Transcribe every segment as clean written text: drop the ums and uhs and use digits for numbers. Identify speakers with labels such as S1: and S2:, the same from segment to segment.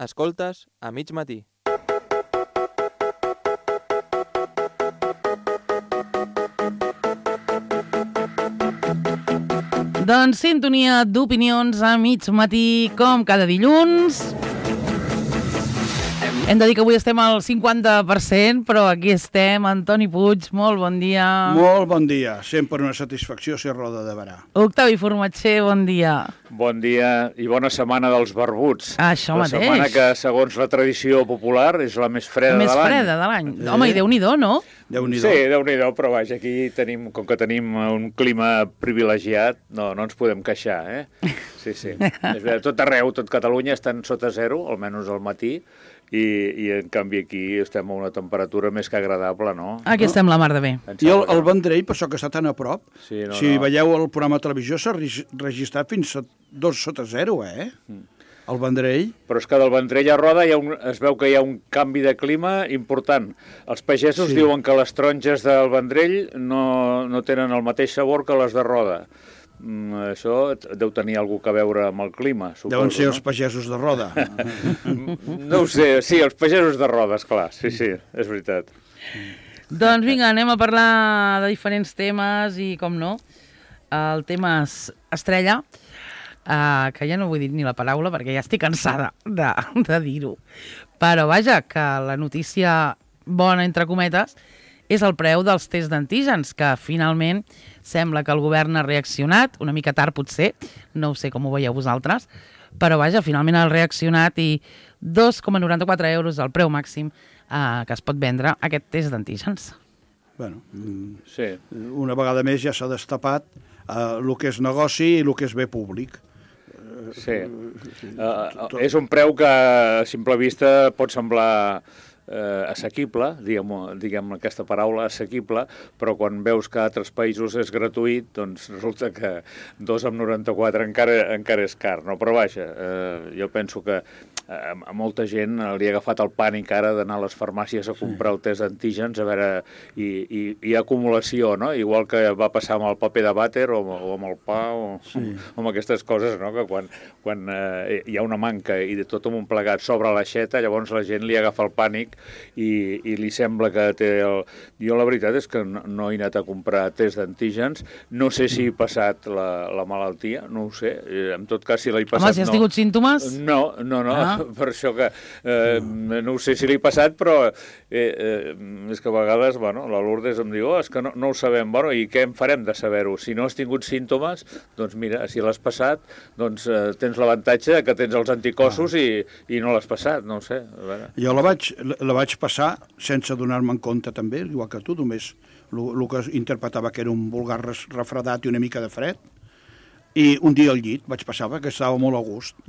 S1: Escoltes a mig matí.
S2: Doncs sintonia d'opinions a mig matí, com cada dilluns. Hem de dir que avui estem al 50%, però aquí estem. Antoni Puig, molt bon dia.
S3: Molt bon dia. Sempre una satisfacció ser Roda de Berà.
S2: Octavi Formatger, bon dia.
S4: Bon dia i bona setmana dels barbuts.
S2: Això mateix.
S4: La setmana que, segons la tradició popular, és la més freda de l'any.
S2: La més freda de l'any. Home, i Déu-n'hi-do, no?
S3: Déu-n'hi-do.
S4: Sí, Déu-n'hi-do, però vaja, aquí tenim, com que tenim un clima privilegiat, no ens podem queixar, eh? Sí. És veritat, tot arreu, tot Catalunya estan sota zero, almenys al matí, i en canvi aquí estem a una temperatura més que agradable, no?
S2: Aquí estem la mar de bé.
S3: I el Vendrell, per això que està tan a prop,
S4: sí,
S3: si veieu el programa de televisió, s'ha registrat fins a 2 sota 0, el Vendrell.
S4: Però és que del Vendrell a Roda es veu que hi ha un canvi de clima important. Els pagesos diuen que les taronges del Vendrell no tenen el mateix sabor que les de Roda. Això deu tenir alguna cosa a veure amb el clima, suposo.
S3: Deuen ser els pagesos de Roda.
S4: No ho sé, sí, els pagesos de Roda, esclar, sí, és veritat.
S2: Doncs vinga, anem a parlar de diferents temes i, com no, el tema estrella, que ja no vull dir ni la paraula perquè ja estic cansada de dir-ho. Però vaja, que la notícia bona, entre cometes, és el preu dels tests d'antígens, que finalment sembla que el govern ha reaccionat, una mica tard potser, no ho sé com ho veieu vosaltres, però vaja, finalment ha reaccionat i 2,94 euros el preu màxim que es pot vendre aquest test d'antígens.
S3: Bueno,
S4: sí.
S3: Una vegada més ja s'ha destapat el que és negoci i el que és bé públic.
S4: Sí. És un preu que a simple vista pot semblar assequible, diguem aquesta paraula, assequible, però quan veus que a altres països és gratuït, doncs resulta que 2,94 encara és car, no? Però vaja, jo penso que a molta gent li ha agafat el pànic ara d'anar a les farmàcies a comprar el test d'antígens, a veure, i acumulació, no? Igual que va passar amb el paper de vàter o amb el pa o amb aquestes coses, no? Que quan hi ha una manca i de tot un plegat sobre l'aixeta, llavors la gent li agafa el pànic i li sembla que té Jo la veritat és que no he anat a comprar test d'antígens, no sé si he passat la malaltia, no ho sé, en tot cas si l'he passat...
S2: Home, si has tingut símptomes?
S4: No, per això que no ho sé si l'he passat, però és que a vegades, bueno, la Lourdes em diu, és que no ho sabem, bueno, i què en farem de saber-ho? Si no has tingut símptomes, doncs mira, si l'has passat, doncs tens l'avantatge que tens els anticossos i no l'has passat, no ho sé. A veure.
S3: Jo la vaig passar sense donar-me en compte també, igual que tu, només el que interpretava que era un vulgar refredat i una mica de fred, i un dia al llit vaig passar perquè estava molt a gust.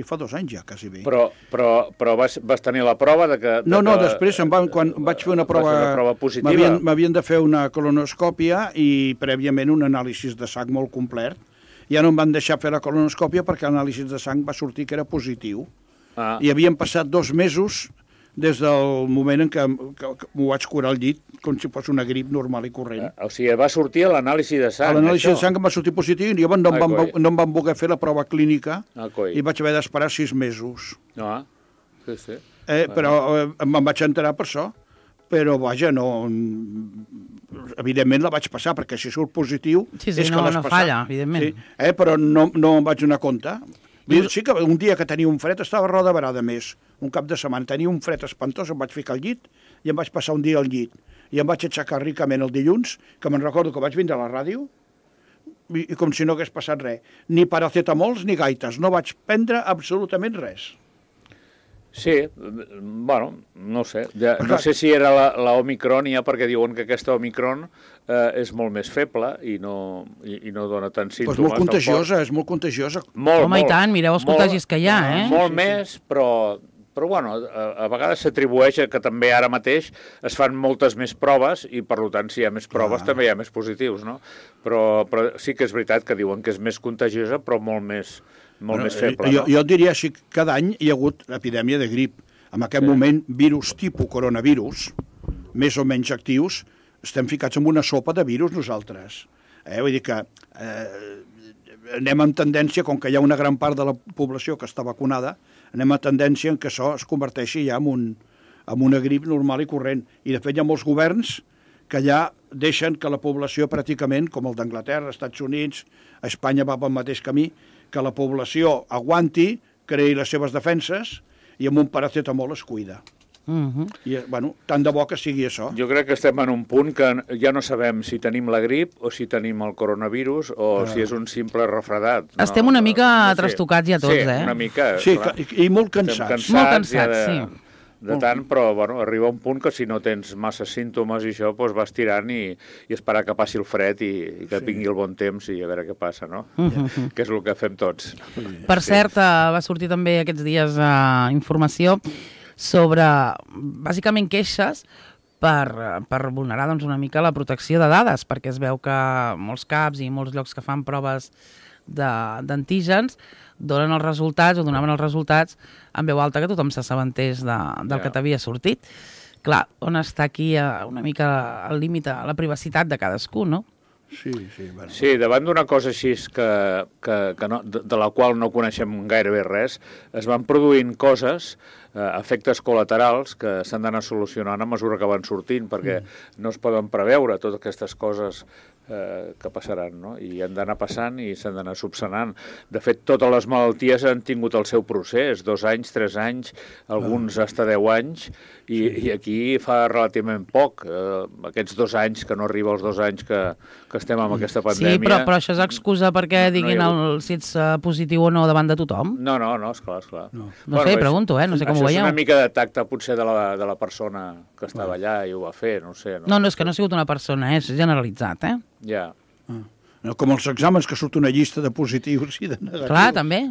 S3: Fa 2 anys ja, quasi bé.
S4: Però vas tenir la prova de que...
S3: No, després, quan vaig fer una prova
S4: positiva,
S3: m'havien de fer una colonoscòpia i prèviament un anàlisi de sang molt complet. Ja no em van deixar fer la colonoscòpia perquè l'anàlisi de sang va sortir que era positiu. I havien passat 2 mesos des del moment en què m'ho vaig curar al llit, com si fos una grip normal i corrent.
S4: O sigui, va sortir a l'anàlisi de sang,
S3: l'anàlisi de sang em va sortir positiu i llavors no em van voler fer la prova clínica i vaig haver d'esperar 6 mesos.
S4: Sí.
S3: Però me'n vaig enterar per això. Però, vaja, no... Evidentment la vaig passar, perquè si surt positiu...
S2: Sí, no falla, evidentment.
S3: Sí, però no em vaig donar compte. Sí que un dia que tenia un fred, estava a Roda Berà de més, un cap de setmana, tenia un fred espantós, em vaig ficar al llit i em vaig passar un dia al llit. I em vaig aixecar ricament el dilluns, que me'n recordo que vaig vindre a la ràdio, i com si no hagués passat res. Ni paracetamols ni gaites, no vaig prendre absolutament res.
S4: Sí, bueno, no sé. No sé si era la Omicron ja, perquè diuen que aquesta Omicron és molt més feble i no dona tants símptomes.
S3: És molt contagiosa.
S2: Home, i tant, mireu els contagis que hi ha,
S4: Molt més, però bueno, a vegades s'atribueix que també ara mateix es fan moltes més proves i, per tant, si hi ha més proves també hi ha més positius, no? Però sí que és veritat que diuen que és més contagiosa, però molt més feble.
S3: Jo diria així, cada any hi ha hagut epidèmia de grip. En aquest moment, virus tipus coronavirus, més o menys actius, estem ficats en una sopa de virus nosaltres. Vull dir que anem amb tendència, com que hi ha una gran part de la població que està vacunada, anem a tendència en què això es converteixi ja en una grip normal i corrent. I, de fet, hi ha molts governs que ja deixen que la població pràcticament, com el d'Anglaterra, Estats Units, Espanya va pel mateix camí, que la població aguanti, creï les seves defenses i amb un paracetamol es cuida. I, bueno, tant de bo que sigui això.
S4: Jo crec que estem en un punt que ja no sabem si tenim la grip o si tenim el coronavirus o si és un simple refredat. No?
S2: Estem una mica trastocats ja tots,
S4: Sí, una mica.
S3: Sí, i molt cansats.
S2: Molt cansats, sí.
S4: De tant, però bueno, arriba un punt que si no tens massa símptomes i això, doncs vas tirant i esperar que passi el fred i que vingui el bon temps i a veure què passa, no? Que és el que fem tots.
S2: Per cert, va sortir també aquests dies informació sobre, bàsicament, queixes per vulnerar doncs, una mica la protecció de dades, perquè es veu que molts CAPs i molts llocs que fan proves d'antígens donen els resultats o donaven els resultats en veu alta que tothom s'assabentés del que t'havia sortit. Clar, on està aquí una mica el límit a la privacitat de cadascú, no?
S3: Sí, bueno.
S4: Sí, davant d'una cosa així de la qual no coneixem gairebé res, es van produint coses, efectes col·laterals, que s'han d'anar solucionant a mesura que van sortint, perquè no es poden preveure totes aquestes coses que passaran, no? I han d'anar passant i s'han d'anar subsanant. De fet, totes les malalties han tingut el seu procés, 2 anys, 3 anys, alguns hasta 10 anys, i aquí fa relativament poc, aquests 2 anys, que no arriba als 2 anys que estem amb aquesta pandèmia.
S2: Sí, però això és excusa perquè diguin si ets positiu o no davant de tothom?
S4: No, esclar.
S2: No sé, pregunto, no sé com ho veieu.
S4: És una mica de tacte, potser, de la persona que estava allà i ho va fer, no sé.
S2: No, és que no ha sigut una persona, és generalitzat,
S4: Ja.
S3: No, com els exàmens, que surt una llista de positius i de negatius.
S2: Clar, també.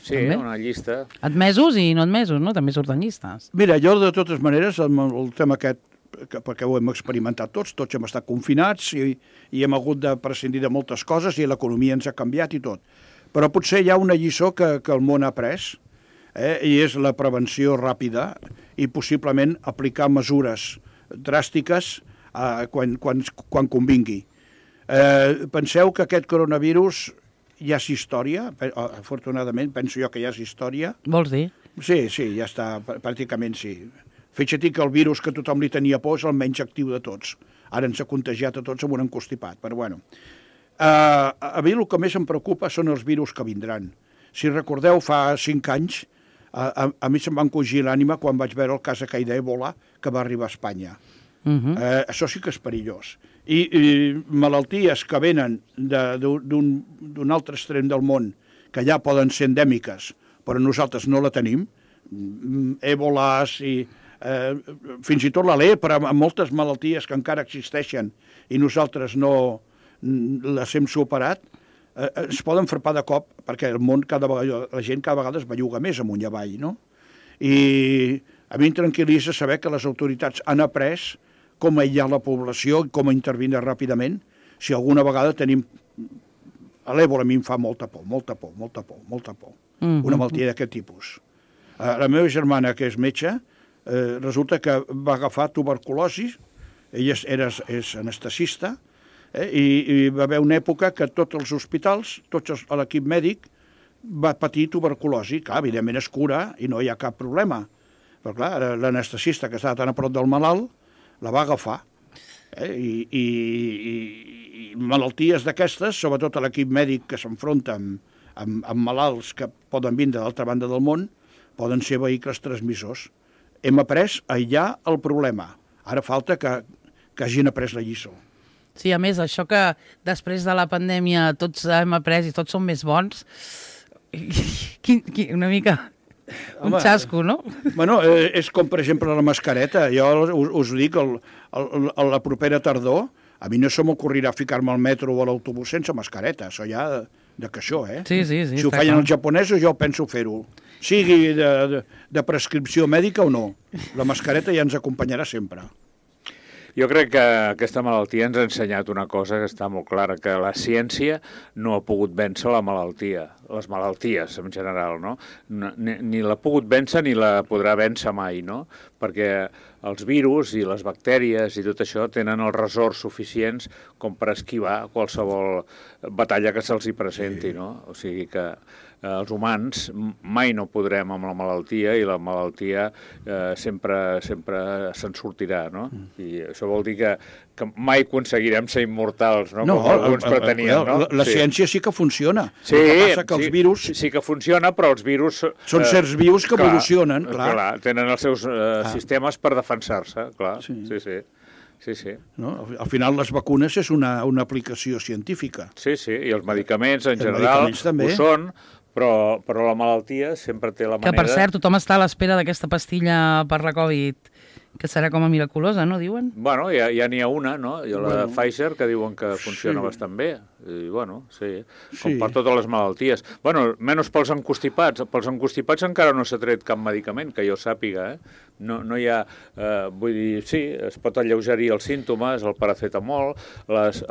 S4: Sí, una llista.
S2: Admesos i no admesos, no? També surten llistes.
S3: Mira, jo, de totes maneres, el tema aquest, perquè ho hem experimentat tots hem estat confinats i hem hagut de prescindir de moltes coses i l'economia ens ha canviat i tot. Però potser hi ha una lliçó que el món ha après, i és la prevenció ràpida i possiblement aplicar mesures dràstiques quan convingui. Penseu que aquest coronavirus ja és història, afortunadament, penso jo que ja és història.
S2: Vols dir?
S3: Sí, ja està, pràcticament sí. Fixa't que el virus que tothom li tenia por és el menys actiu de tots. Ara ens ha contagiat a tots amb un encostipat, però bueno. A mi el que més em preocupa són els virus que vindran. Si recordeu, fa 5 anys, a mi se'm va encogir l'ànima quan vaig veure el cas aquell d'Ebola que va arribar a Espanya. Això sí que és perillós. I malalties que venen d'un altre extrem del món, que ja poden ser endèmiques, però nosaltres no la tenim, èboles i fins i tot la lepra, amb moltes malalties que encara existeixen i nosaltres no les hem superat, es poden frapar de cop, perquè el món, la gent cada vegada es belluga més amunt i avall, no? I a mi em tranquil·litza saber que les autoritats han après com aïllar la població i com intervenir ràpidament. Si alguna vegada tenim... L'èbola a mi em fa molta por. Una malaltia d'aquest tipus. La meva germana, que és metge, resulta que va agafar tuberculosi, ella és anestesista, i va haver una època que tots els hospitals, l'equip mèdic, va patir tuberculosi. Clar, evidentment es cura i no hi ha cap problema. Però clar, l'anestesista, que estava tan a prop del malalt, la va agafar. I malalties d'aquestes, sobretot a l'equip mèdic que s'enfronta amb malalts que poden vindre d'altra banda del món, poden ser vehicles transmissors. Hem après a aïllar el problema. Ara falta que hagin après la lliçó.
S2: Sí, a més, això que després de la pandèmia tots hem après i tots som més bons, una mica... Un xasco, no?
S3: Bueno, és com, per exemple, la mascareta. Jo us ho dic, a la propera tardor, a mi no se m'ocorrirà ficar-me al metro o a l'autobús sense mascareta. Això ja de caixó,
S2: Sí.
S3: Si ho feien els japonesos, jo penso fer-ho. Sigui de prescripció mèdica o no. La mascareta ja ens acompanyarà sempre.
S4: Jo crec que aquesta malaltia ens ha ensenyat una cosa que està molt clara, que la ciència no ha pogut vèncer la malaltia, les malalties en general, no? Ni l'ha pogut vèncer ni la podrà vèncer mai, no? Perquè els virus i les bactèries i tot això tenen els ressorts suficients com per esquivar qualsevol batalla que se'ls hi presenti, no? O sigui que els humans mai no podrem amb la malaltia i la malaltia sempre se'n sortirà, no? I això vol dir que mai aconseguirem ser immortals, no? Com alguns pretenien, no?
S3: La ciència sí que funciona.
S4: Sí,
S3: el que passa que els virus...
S4: Sí que funciona, però els virus...
S3: Són certs vius que evolucionen, clar.
S4: Clar, tenen els seus sistemes per defensar-se, clar. Sí.
S3: No? Al final les vacunes és una aplicació científica.
S4: Sí, i els medicaments en general ho són, però la malaltia sempre té la manera...
S2: Que, per cert, tothom està a l'espera d'aquesta pastilla per la Covid, que serà com a miraculosa, no, diuen?
S4: Bueno, ja n'hi ha una, no? Hi ha la Pfizer, que diuen que funciona bastant bé. I, bueno, com per totes les malalties. Bueno, menys pels encostipats. Pels encostipats encara no s'ha tret cap medicament, que jo sàpiga, No hi ha... vull dir, sí, es pot alleugerir els símptomes, el paracetamol, els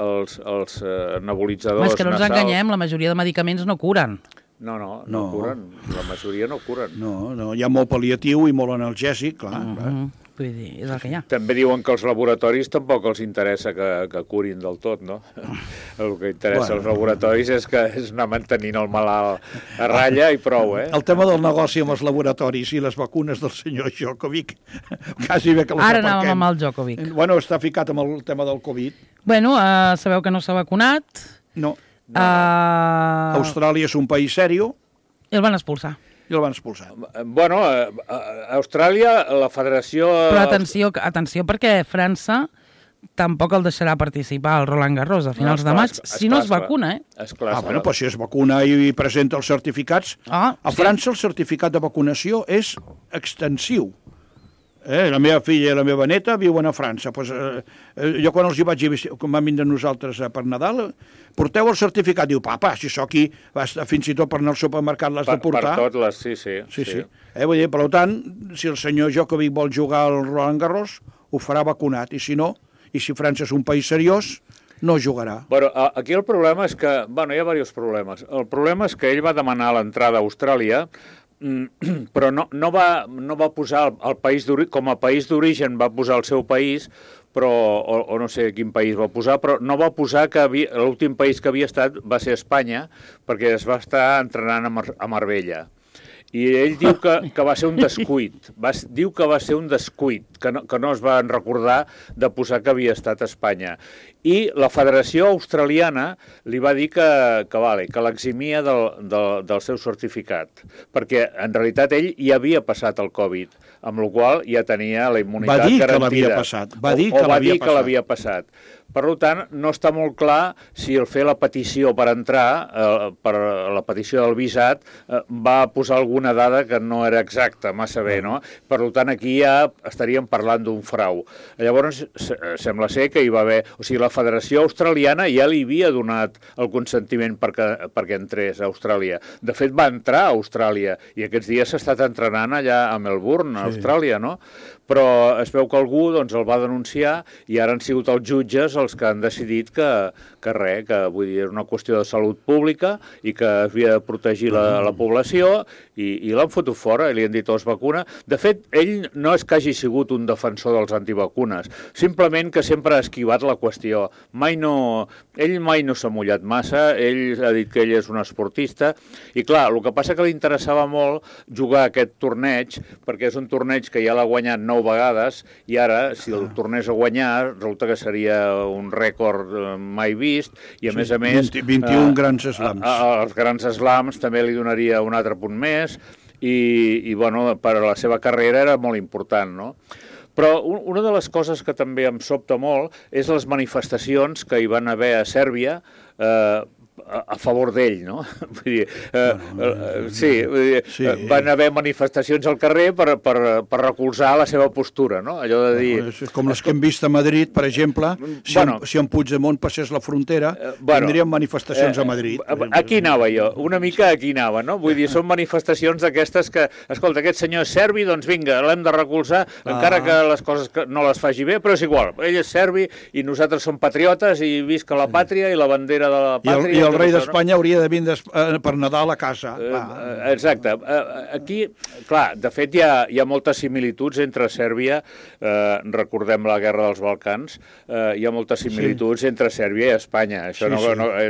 S4: nebulitzadors
S2: nasals... És que no ens enganyem, la majoria de medicaments no curen.
S4: No curen. La majoria no curen.
S3: No, hi ha molt pal·liatiu i molt analgèsic, clar.
S2: Vull dir, és el que hi ha.
S4: També diuen que els laboratoris tampoc els interessa que curin del tot, no? El que interessa als laboratoris és anar mantenint el malalt a ratlla i prou,
S3: El tema del negoci amb els laboratoris i les vacunes del senyor Djokovic, quasi bé que les
S2: aparquem. Ara anàvem amb el Djokovic.
S3: Bueno, està ficat amb el tema del Covid.
S2: Bueno, sabeu que no s'ha vacunat.
S3: No. Austràlia és un país sèrio.
S2: I el van expulsar.
S4: Bueno, a Austràlia, la federació...
S2: Però atenció, perquè França tampoc el deixarà participar al Roland Garros a finals de maig, si no es vacuna,
S3: Bueno, doncs si es vacuna i presenta els certificats... A França el certificat de vacunació és extensiu. La meva filla i la meva neta viuen a França. Jo quan els hi vaig dir, quan vam vindre nosaltres per Nadal, porteu el certificat. Diu, papa, si sóc aquí, fins i tot per anar al supermercat l'has de portar.
S4: Per tot, sí.
S3: Vull dir, per tant, si el senyor Djokovic vol jugar al Roland Garros, ho farà vacunat. I si no, i si França és un país seriós, no jugarà.
S4: Bueno, aquí el problema és que... Bueno, hi ha diversos problemes. El problema és que ell va demanar l'entrada a Austràlia, però no va posar el país d'origen, com a país d'origen va posar el seu país, però, o no sé quin país va posar, però no va posar que l'últim país que havia estat va ser Espanya, perquè es va estar entrenant a Marbella. I ell diu que va ser un descuit, diu que va ser un descuit, que no es van recordar de posar que havia estat a Espanya. I la Federació Australiana li va dir que l'eximia del seu certificat, perquè en realitat ell ja havia passat el Covid, amb la qual cosa ja tenia la immunitat garantida.
S3: Va dir que
S4: l'havia passat. Per tant, no està molt clar si el fer la petició per entrar, per la petició del visat, va posar alguna dada que no era exacta, massa bé, no? Per tant, aquí ja estaríem parlant d'un frau. Llavors, sembla ser que hi va haver... O sigui, la Federació Australiana ja li havia donat el consentiment perquè entrés a Austràlia. De fet, va entrar a Austràlia i aquests dies s'ha estat entrenant allà a Melbourne, a Austràlia, no? Però es veu que algú el va denunciar i ara han sigut els jutges els que han decidit que vull dir, és una qüestió de salut pública i que havia de protegir la població i l'han fotut fora i li han dit es vacuna. De fet, ell no és que hagi sigut un defensor dels antivacunes, simplement que sempre ha esquivat la qüestió. Ell mai no s'ha mullat massa, ell ha dit que ell és un esportista i clar, el que passa que li interessava molt jugar aquest torneig perquè és un torneig que ja l'ha guanyat 9 vegades i ara, si el tornés a guanyar, resulta que seria un rècord mai vist i a més
S3: 21 grans slams.
S4: Els grans slams també li donaria un altre punt més i bueno, per a la seva carrera era molt important, no? Però una de les coses que també em sobta molt és les manifestacions que hi van haver a Sèrbia a favor d'ell, no? Vull dir, van haver manifestacions al carrer per recolzar la seva postura, no? Allò de dir...
S3: Com les que hem vist a Madrid, per exemple, si en Puigdemont passés la frontera, tindríem manifestacions a Madrid.
S4: Aquí anava jo, una mica aquí anava, no? Vull dir, són manifestacions d'aquestes que, escolta, aquest senyor és serbi, doncs vinga, l'hem de recolzar, encara que les coses no les faci bé, però és igual, ell és serbi i nosaltres som patriotes i visca la pàtria i la bandera de la pàtria.
S3: el rei d'Espanya hauria de vindre per Nadal a casa.
S4: Exacte. Aquí, clar, de fet hi ha moltes similituds entre Sèrbia, recordem la guerra dels Balcans, hi ha moltes similituds entre Sèrbia i Espanya. Això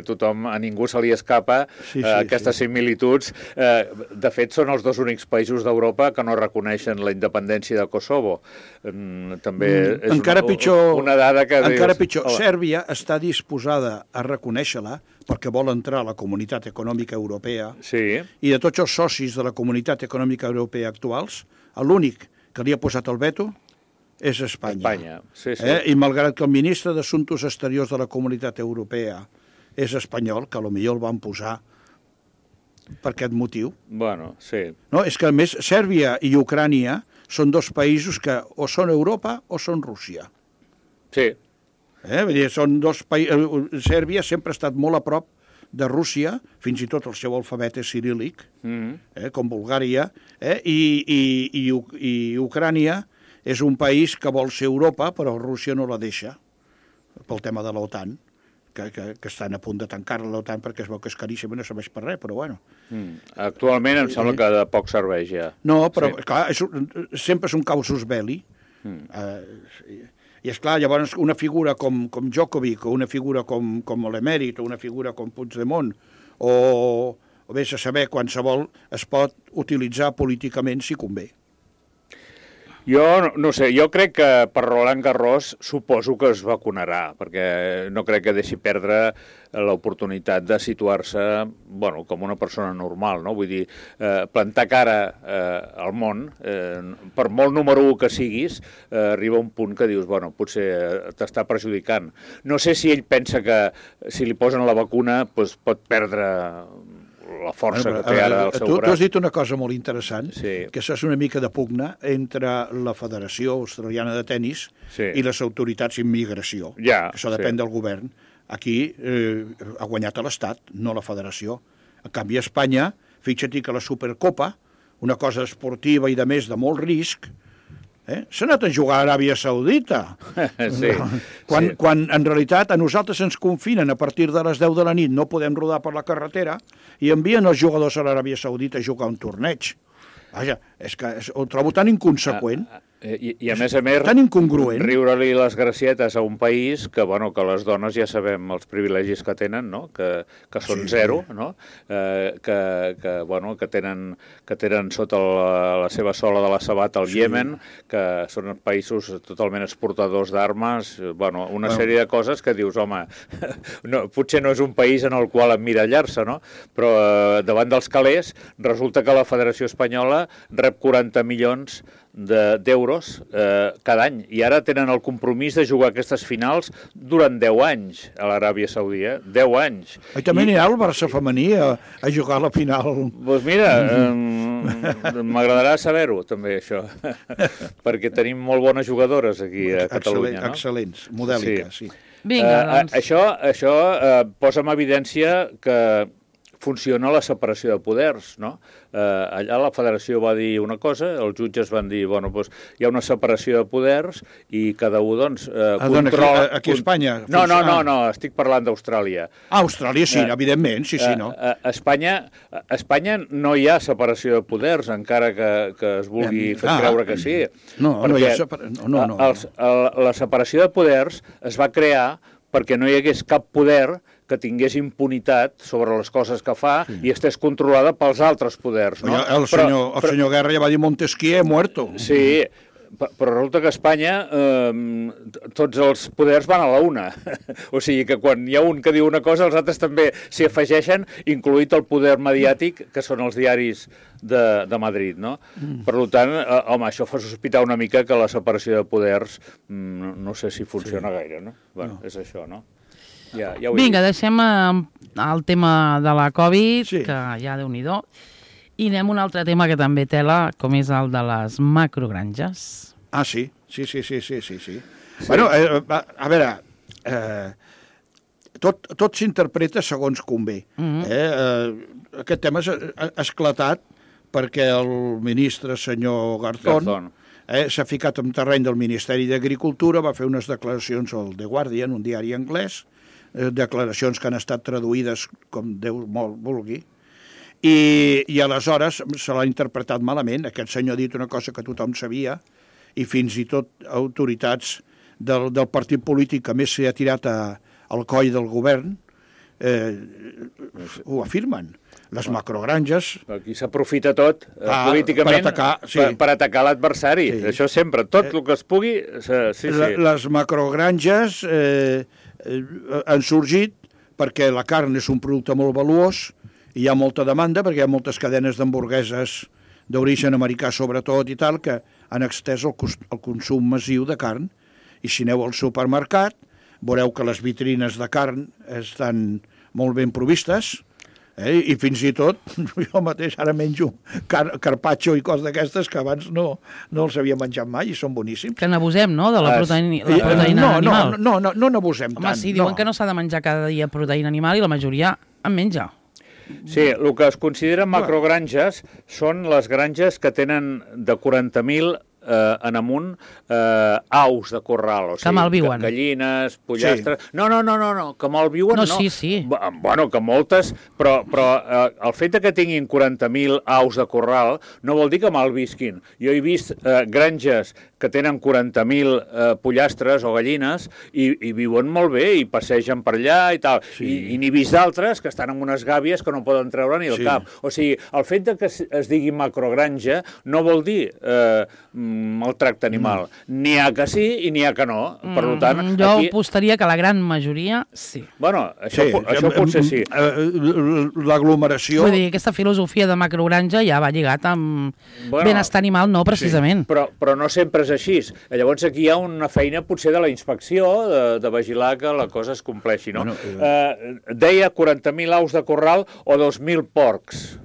S4: tothom, a ningú se li escapa aquestes similituds. De fet, són els dos únics països d'Europa que no reconeixen la independència de Kosovo. També és una dada que...
S3: Encara pitjor, Sèrbia està disposada a reconèixer-la perquè vol entrar a la Comunitat Econòmica Europea i de tots els socis de la Comunitat Econòmica Europea actuals, l'únic que li ha posat el veto és Espanya. I malgrat que el ministre d'Assumptes Exteriors de la Comunitat Europea és espanyol, que potser el van posar per aquest motiu.
S4: Bueno, sí.
S3: No, és que, a més, Sèrbia i Ucrània són dos països que o són Europa o són Rússia.
S4: Sí.
S3: Vull dir, són dos països... Sèrbia sempre ha estat molt a prop de Rússia, fins i tot el seu alfabet és ciríl·lic, com Bulgària, i Ucrània és un país que vol ser Europa, però Rússia no la deixa, pel tema de l'OTAN, que estan a punt de tancar-la l'OTAN perquè es veu que és caríssim i no serveix per res, però bueno.
S4: Actualment em sembla que de poc serveix ja.
S3: No, però clar, sempre és un causus belli. I és clar, llavors una figura com Djokovic, o una figura com l'emèrit, o una figura com Puigdemont, o vés a saber, qualsevol es pot utilitzar políticament si convé.
S4: Jo no sé, jo crec que per Roland Garros suposo que es vacunarà, perquè no crec que deixi perdre l'oportunitat de situar-se, bueno, com una persona normal, no? Vull dir, plantar cara al món, per molt número 1 que siguis, arriba un punt que dius, bueno, potser t'està perjudicant. No sé si ell pensa que si li posen la vacuna doncs pot perdre la força que té ara al seu braç.
S3: Tu has dit una cosa molt interessant, que això és una mica de pugna entre la Federació Australiana de Tenis i les autoritats d'immigració, que això depèn del govern. Aquí ha guanyat l'Estat, no la Federació. En canvi, a Espanya, fixa't que la Supercopa, una cosa esportiva i de més de molt risc, s'ha anat a jugar a Aràbia Saudita. Quan en realitat a nosaltres ens confinen a partir de les 10 de la nit, no podem rodar per la carretera i envien els jugadors a l'Aràbia Saudita a jugar un torneig. Vaja, és que ho trobo tan inconseqüent.
S4: I a més,
S3: tan incongruent.
S4: Riure-li les gracietes a un país que, bueno, que les dones ja sabem els privilegis que tenen, no? Que són zero, no? Que tenen sota la seva sola de la sabata el Iemen, que són països totalment exportadors d'armes, bueno, una sèrie de coses que dius, home, potser no és un país en el qual emmirallar-se, no? Però davant dels calés resulta que la Federació Espanyola rep 40 milions d'euros cada any, i ara tenen el compromís de jugar aquestes finals durant 10 anys a l'Aràbia Saudita, 10 anys.
S3: I també anirà el Barça femení a jugar a la final.
S4: Doncs mira, m'agradarà saber-ho també, això, perquè tenim molt bones jugadores aquí a Catalunya.
S3: Excel·lents, modèliques, sí.
S2: Vinga, doncs.
S4: Això posa en evidència que funciona la separació de poders, no? Allà la federació va dir una cosa, els jutges van dir, bueno, doncs hi ha una separació de poders i cada un, doncs, controla...
S3: Aquí a Espanya?
S4: No, estic parlant d'Austràlia.
S3: Austràlia, sí, evidentment, sí, no.
S4: A Espanya no hi ha separació de poders, encara que es vulgui fer creure que sí.
S3: No hi ha separació...
S4: La separació de poders es va crear perquè no hi hagués cap poder que tingués impunitat sobre les coses que fa i estés controlada pels altres poders. No?
S3: El senyor Guerra ja va dir Montesquieu muerto.
S4: Sí, però resulta que a Espanya tots els poders van a la una. O sigui que quan hi ha un que diu una cosa, els altres també s'hi afegeixen, incloït el poder mediàtic, que són els diaris de Madrid, no? Per tant, home, això fa sospitar una mica que la separació de poders no sé si funciona gaire, no? Bueno, és això, no?
S2: Vinga, deixem el tema de la Covid, que ja Déu-n'hi-do, i anem a un altre tema que també tela, com és el de les macrogranges.
S3: Ah, sí. Bueno, a veure, tot s'interpreta segons convé. Aquest tema ha esclatat perquè el ministre senyor Garzón s'ha ficat en terreny del Ministeri d'Agricultura, va fer unes declaracions al The Guardian, un diari anglès, declaracions que han estat traduïdes com Déu molt vulgui, i aleshores se l'ha interpretat malament. Aquest senyor ha dit una cosa que tothom sabia, i fins i tot autoritats del partit polític que més s'ha tirat al coll del govern ho afirmen. Les macrogranges...
S4: Aquí s'aprofita tot políticament per atacar l'adversari. Sí. Això sempre, tot el que es pugui... Sí.
S3: Les macrogranges han sorgit perquè la carn és un producte molt valuós, i hi ha molta demanda perquè hi ha moltes cadenes d'hamburgueses d'origen americà sobretot i tal, que han extès el consum massiu de carn. I si aneu al supermercat, veureu que les vitrines de carn estan molt ben provistes, i fins i tot jo mateix ara menjo carpaccio i coses d'aquestes que abans no els havia menjat mai i són boníssims.
S2: Que n'abusem, no?, de la proteïna animal.
S3: No n'abusem tant.
S2: Home, sí, diuen que no s'ha de menjar cada dia proteïna animal i la majoria en menja.
S4: Sí, el que es consideren macrogranges són les granges que tenen de 40.000 en amunt aus de corral, o sigui,
S2: que malviuen.
S4: Gallines, pollastres... Sí. No, que malviuen no.
S2: Sí.
S4: Bueno, que moltes, però el fet que tinguin 40.000 aus de corral no vol dir que malvisquin. Jo he vist granges que tenen 40.000 pollastres o gallines i viuen molt bé i passegen per allà i tal. Sí. I n'he vist d'altres que estan en unes gàbies que no poden treure ni el cap. O sigui, el fet que es digui macrogranja no vol dir maltracte animal. N'hi ha que sí i n'hi ha que no. Per tant,
S2: jo apostaria que la gran majoria sí.
S4: Bueno, això potser sí.
S3: L'aglomeració...
S2: Vull dir, aquesta filosofia de macrogranja ja va lligat amb benestar animal, no precisament.
S4: Sí, però no sempre és així. Llavors aquí hi ha una feina potser de la inspecció, de vigilar que la cosa es compleixi, no? Deia 40.000 aus de corral o 2.000 porcs.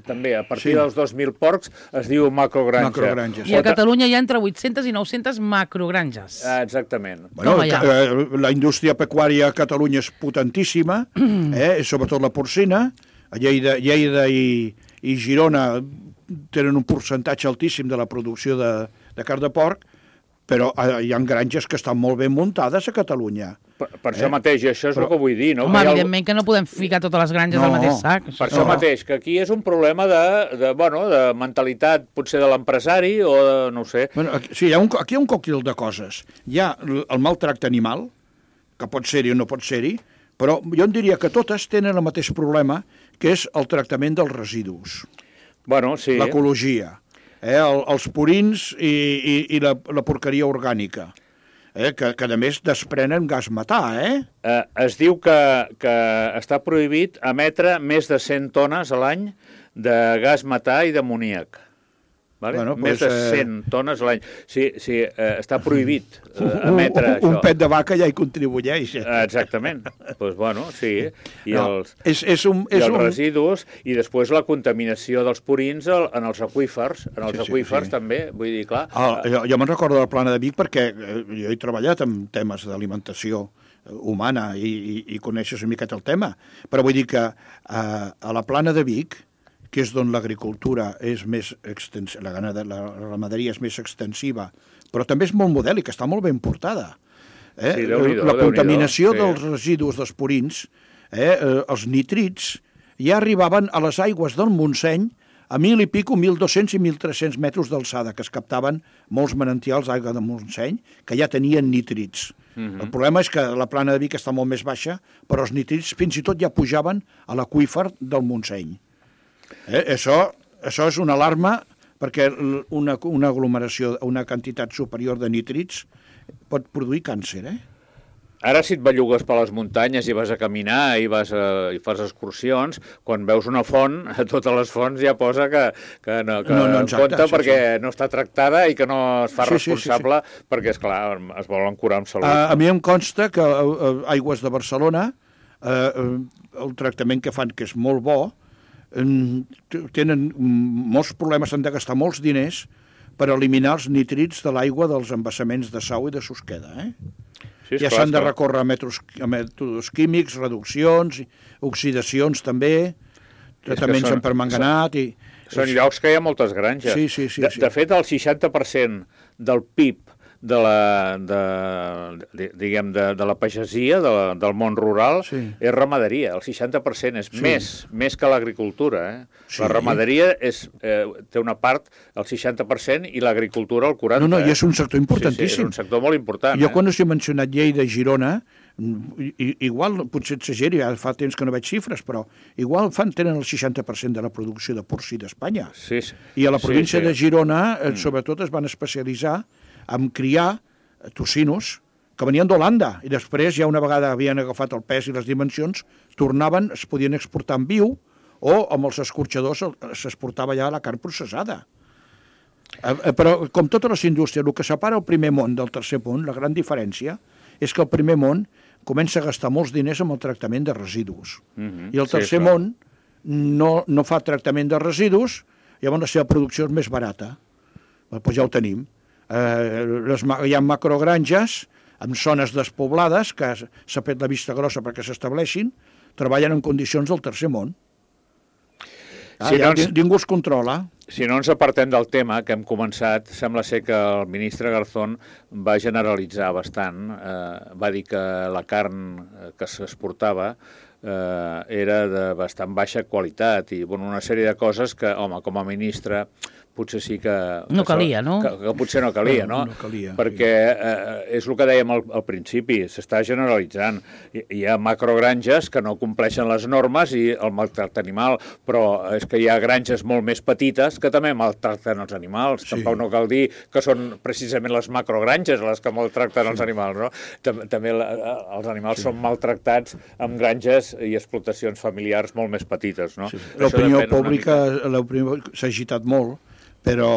S4: També, a partir dels 2.000 porcs es diu macrogranja.
S2: I a Catalunya hi ha entre 800 i 900 macrogranges.
S4: Exactament.
S3: Bueno, la indústria pecuària a Catalunya és potentíssima, sobretot la porcina. A Lleida i Girona tenen un percentatge altíssim de la producció de carn de porc, però hi ha granges que estan molt ben muntades a Catalunya.
S4: Per això mateix, i això és el que vull dir, no?
S2: Home, evidentment que no podem ficar totes les granges al mateix sac.
S4: Per això mateix, que aquí és un problema de mentalitat, potser de l'empresari o de, no ho sé.
S3: Sí, aquí hi ha un còctel de coses. Hi ha el maltracte animal, que pot ser-hi o no pot ser-hi, però jo en diria que totes tenen el mateix problema, que és el tractament dels residus.
S4: Bueno, sí.
S3: L'ecologia, els purins i la porqueria orgànica. Que a més desprenen gas metà,
S4: Es diu que està prohibit emetre més de 100 tones a l'any de gas metà i d'amoníac. Vale? Bueno, més de 100 tones a l'any. Sí, està prohibit emetre això.
S3: Un pet de vaca ja hi contribueix.
S4: Exactament. Doncs bueno, sí. I els residus, i després la contaminació dels purins en els aqüífers. En els aqüífers també, vull dir, clar.
S3: Jo me'n recordo del Plana de Vic perquè jo he treballat en temes d'alimentació humana i coneixes una miqueta el tema. Però vull dir que a la Plana de Vic, que és d'on l'agricultura és més extensiva, la ramaderia és més extensiva, però també és molt modèlica, està molt ben portada.
S4: Sí,
S3: la contaminació dels residus dels purins, els nitrits, ja arribaven a les aigües del Montseny a 1.200 i 1.300 metres d'alçada, que es captaven molts manantials d'aigua del Montseny, que ja tenien nitrits. El problema és que la Plana de Vic està molt més baixa, però els nitrits fins i tot ja pujaven a l'aqüífer del Montseny. Això és una alarma perquè una aglomeració, una quantitat superior de nítrids pot produir càncer,
S4: Ara, si et bellugues per les muntanyes i vas a caminar i fas excursions, quan veus una font, a totes les fonts ja posa que no compta perquè no està tractada i que no es fa responsable perquè, esclar, es volen curar amb salut.
S3: A mi em consta que Aigües de Barcelona, el tractament que fan, que és molt bo, tenen molts problemes, han de gastar molts diners per eliminar els nitrits de l'aigua dels embassaments de Sau i de Susqueda. Ja s'han de recórrer a mètodes químics, reduccions, oxidacions també, tractaments amb permanganat...
S4: Són llocs que hi ha moltes granges.
S3: Sí.
S4: De fet, el 60% del PIB de la pagesia, del món rural, és ramaderia. El 60% és més que l'agricultura. Sí. La ramaderia té una part, el 60%, i l'agricultura el 40%.
S3: No, i és un sector importantíssim.
S4: Sí, és un sector molt important.
S3: Jo quan us he mencionat Lleida i Girona, igual, potser exageri, fa temps que no veig xifres, però igual tenen el 60% de la producció de porcí d'Espanya.
S4: Sí.
S3: I a la província de Girona, sobretot, es van especialitzar en criar tocinos que venien d'Holanda, i després, ja una vegada havien agafat el pes i les dimensions, tornaven, es podien exportar en viu, o amb els escorxadors s'exportava ja la carn processada. Però, com totes les indústries, el que separa el primer món del tercer món, la gran diferència, és que el primer món comença a gastar molts diners amb el tractament de residus. I el tercer món no fa tractament de residus, llavors la seva producció és més barata. Doncs ja ho tenim. Hi ha macrogranges en zones despoblades que s'ha fet la vista grossa perquè s'estableixin, treballen en condicions del tercer món. Ningú els controla.
S4: Si no ens apartem del tema que hem començat, sembla ser que el ministre Garzón va generalitzar bastant, va dir que la carn que s'exportava era de bastant baixa qualitat i una sèrie de coses que, home, com a ministre potser sí que...
S2: No calia, no?
S4: Que potser no calia, no?
S3: No calia.
S4: Perquè és el que dèiem al principi, s'està generalitzant. Hi ha macrogranges que no compleixen les normes i el maltracte animal, però és que hi ha granges molt més petites que també maltracten els animals. Tampoc no cal dir que són precisament les macrogranges les que maltracten els animals, no? També els animals són maltractats amb granges i explotacions familiars molt més petites, no?
S3: L'opinió pública s'ha agitat molt, però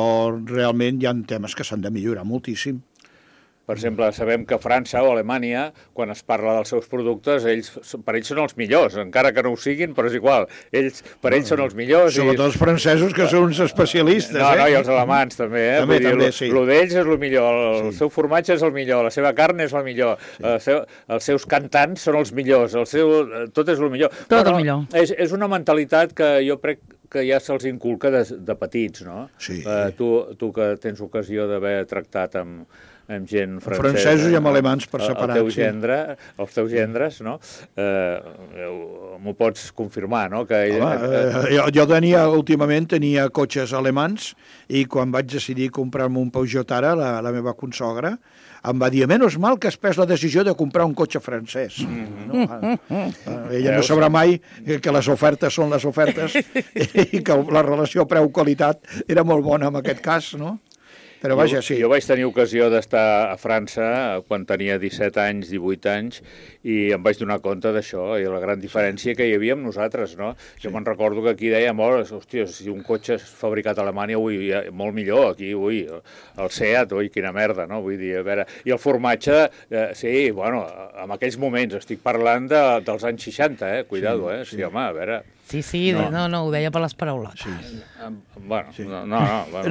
S3: realment hi ha temes que s'han de millorar moltíssim.
S4: Per exemple, sabem que França o Alemanya, quan es parla dels seus productes, per ells són els millors, encara que no ho siguin, però és igual. Per ells són els millors.
S3: Sobretot els francesos, que són uns especialistes.
S4: No, i els alemans també.
S3: També, sí.
S4: Lo d'ells és el millor, el seu formatge és el millor, la seva carn és la millor, els seus cantants són els millors, tot és el millor.
S2: Tot el millor.
S4: És una mentalitat que jo crec que ja se'ls inculca de petits, no?
S3: Sí.
S4: Tu que tens ocasió d'haver tractat amb gent francesa...
S3: Francesos i amb alemans per separat.
S4: Els teus gendres, no? M'ho pots confirmar, no?
S3: Jo últimament tenia cotxes alemans i quan vaig decidir comprar-me un Peugeot ara, la meva consogra, em va dir, menys mal que has pres la decisió de comprar un cotxe francès. Ella no sabrà mai que les ofertes són les ofertes i que la relació preu-qualitat era molt bona en aquest cas, no? Però vaja, sí.
S4: Jo vaig tenir ocasió d'estar a França quan tenia 17 anys, 18 anys, i em vaig donar compte d'això, i la gran diferència que hi havia amb nosaltres, no? Jo me'n recordo que aquí dèiem, hòstia, si un cotxe és fabricat a Alemanya, molt millor, aquí, el Seat, quina merda, no? Vull dir, a veure... I el formatge, sí, bueno, en aquells moments, estic parlant dels anys 60, cuidado, sí, home, a veure...
S2: Sí, no, ho deia per les paraules.
S3: Sí.
S4: Bueno,
S3: sí.
S4: No,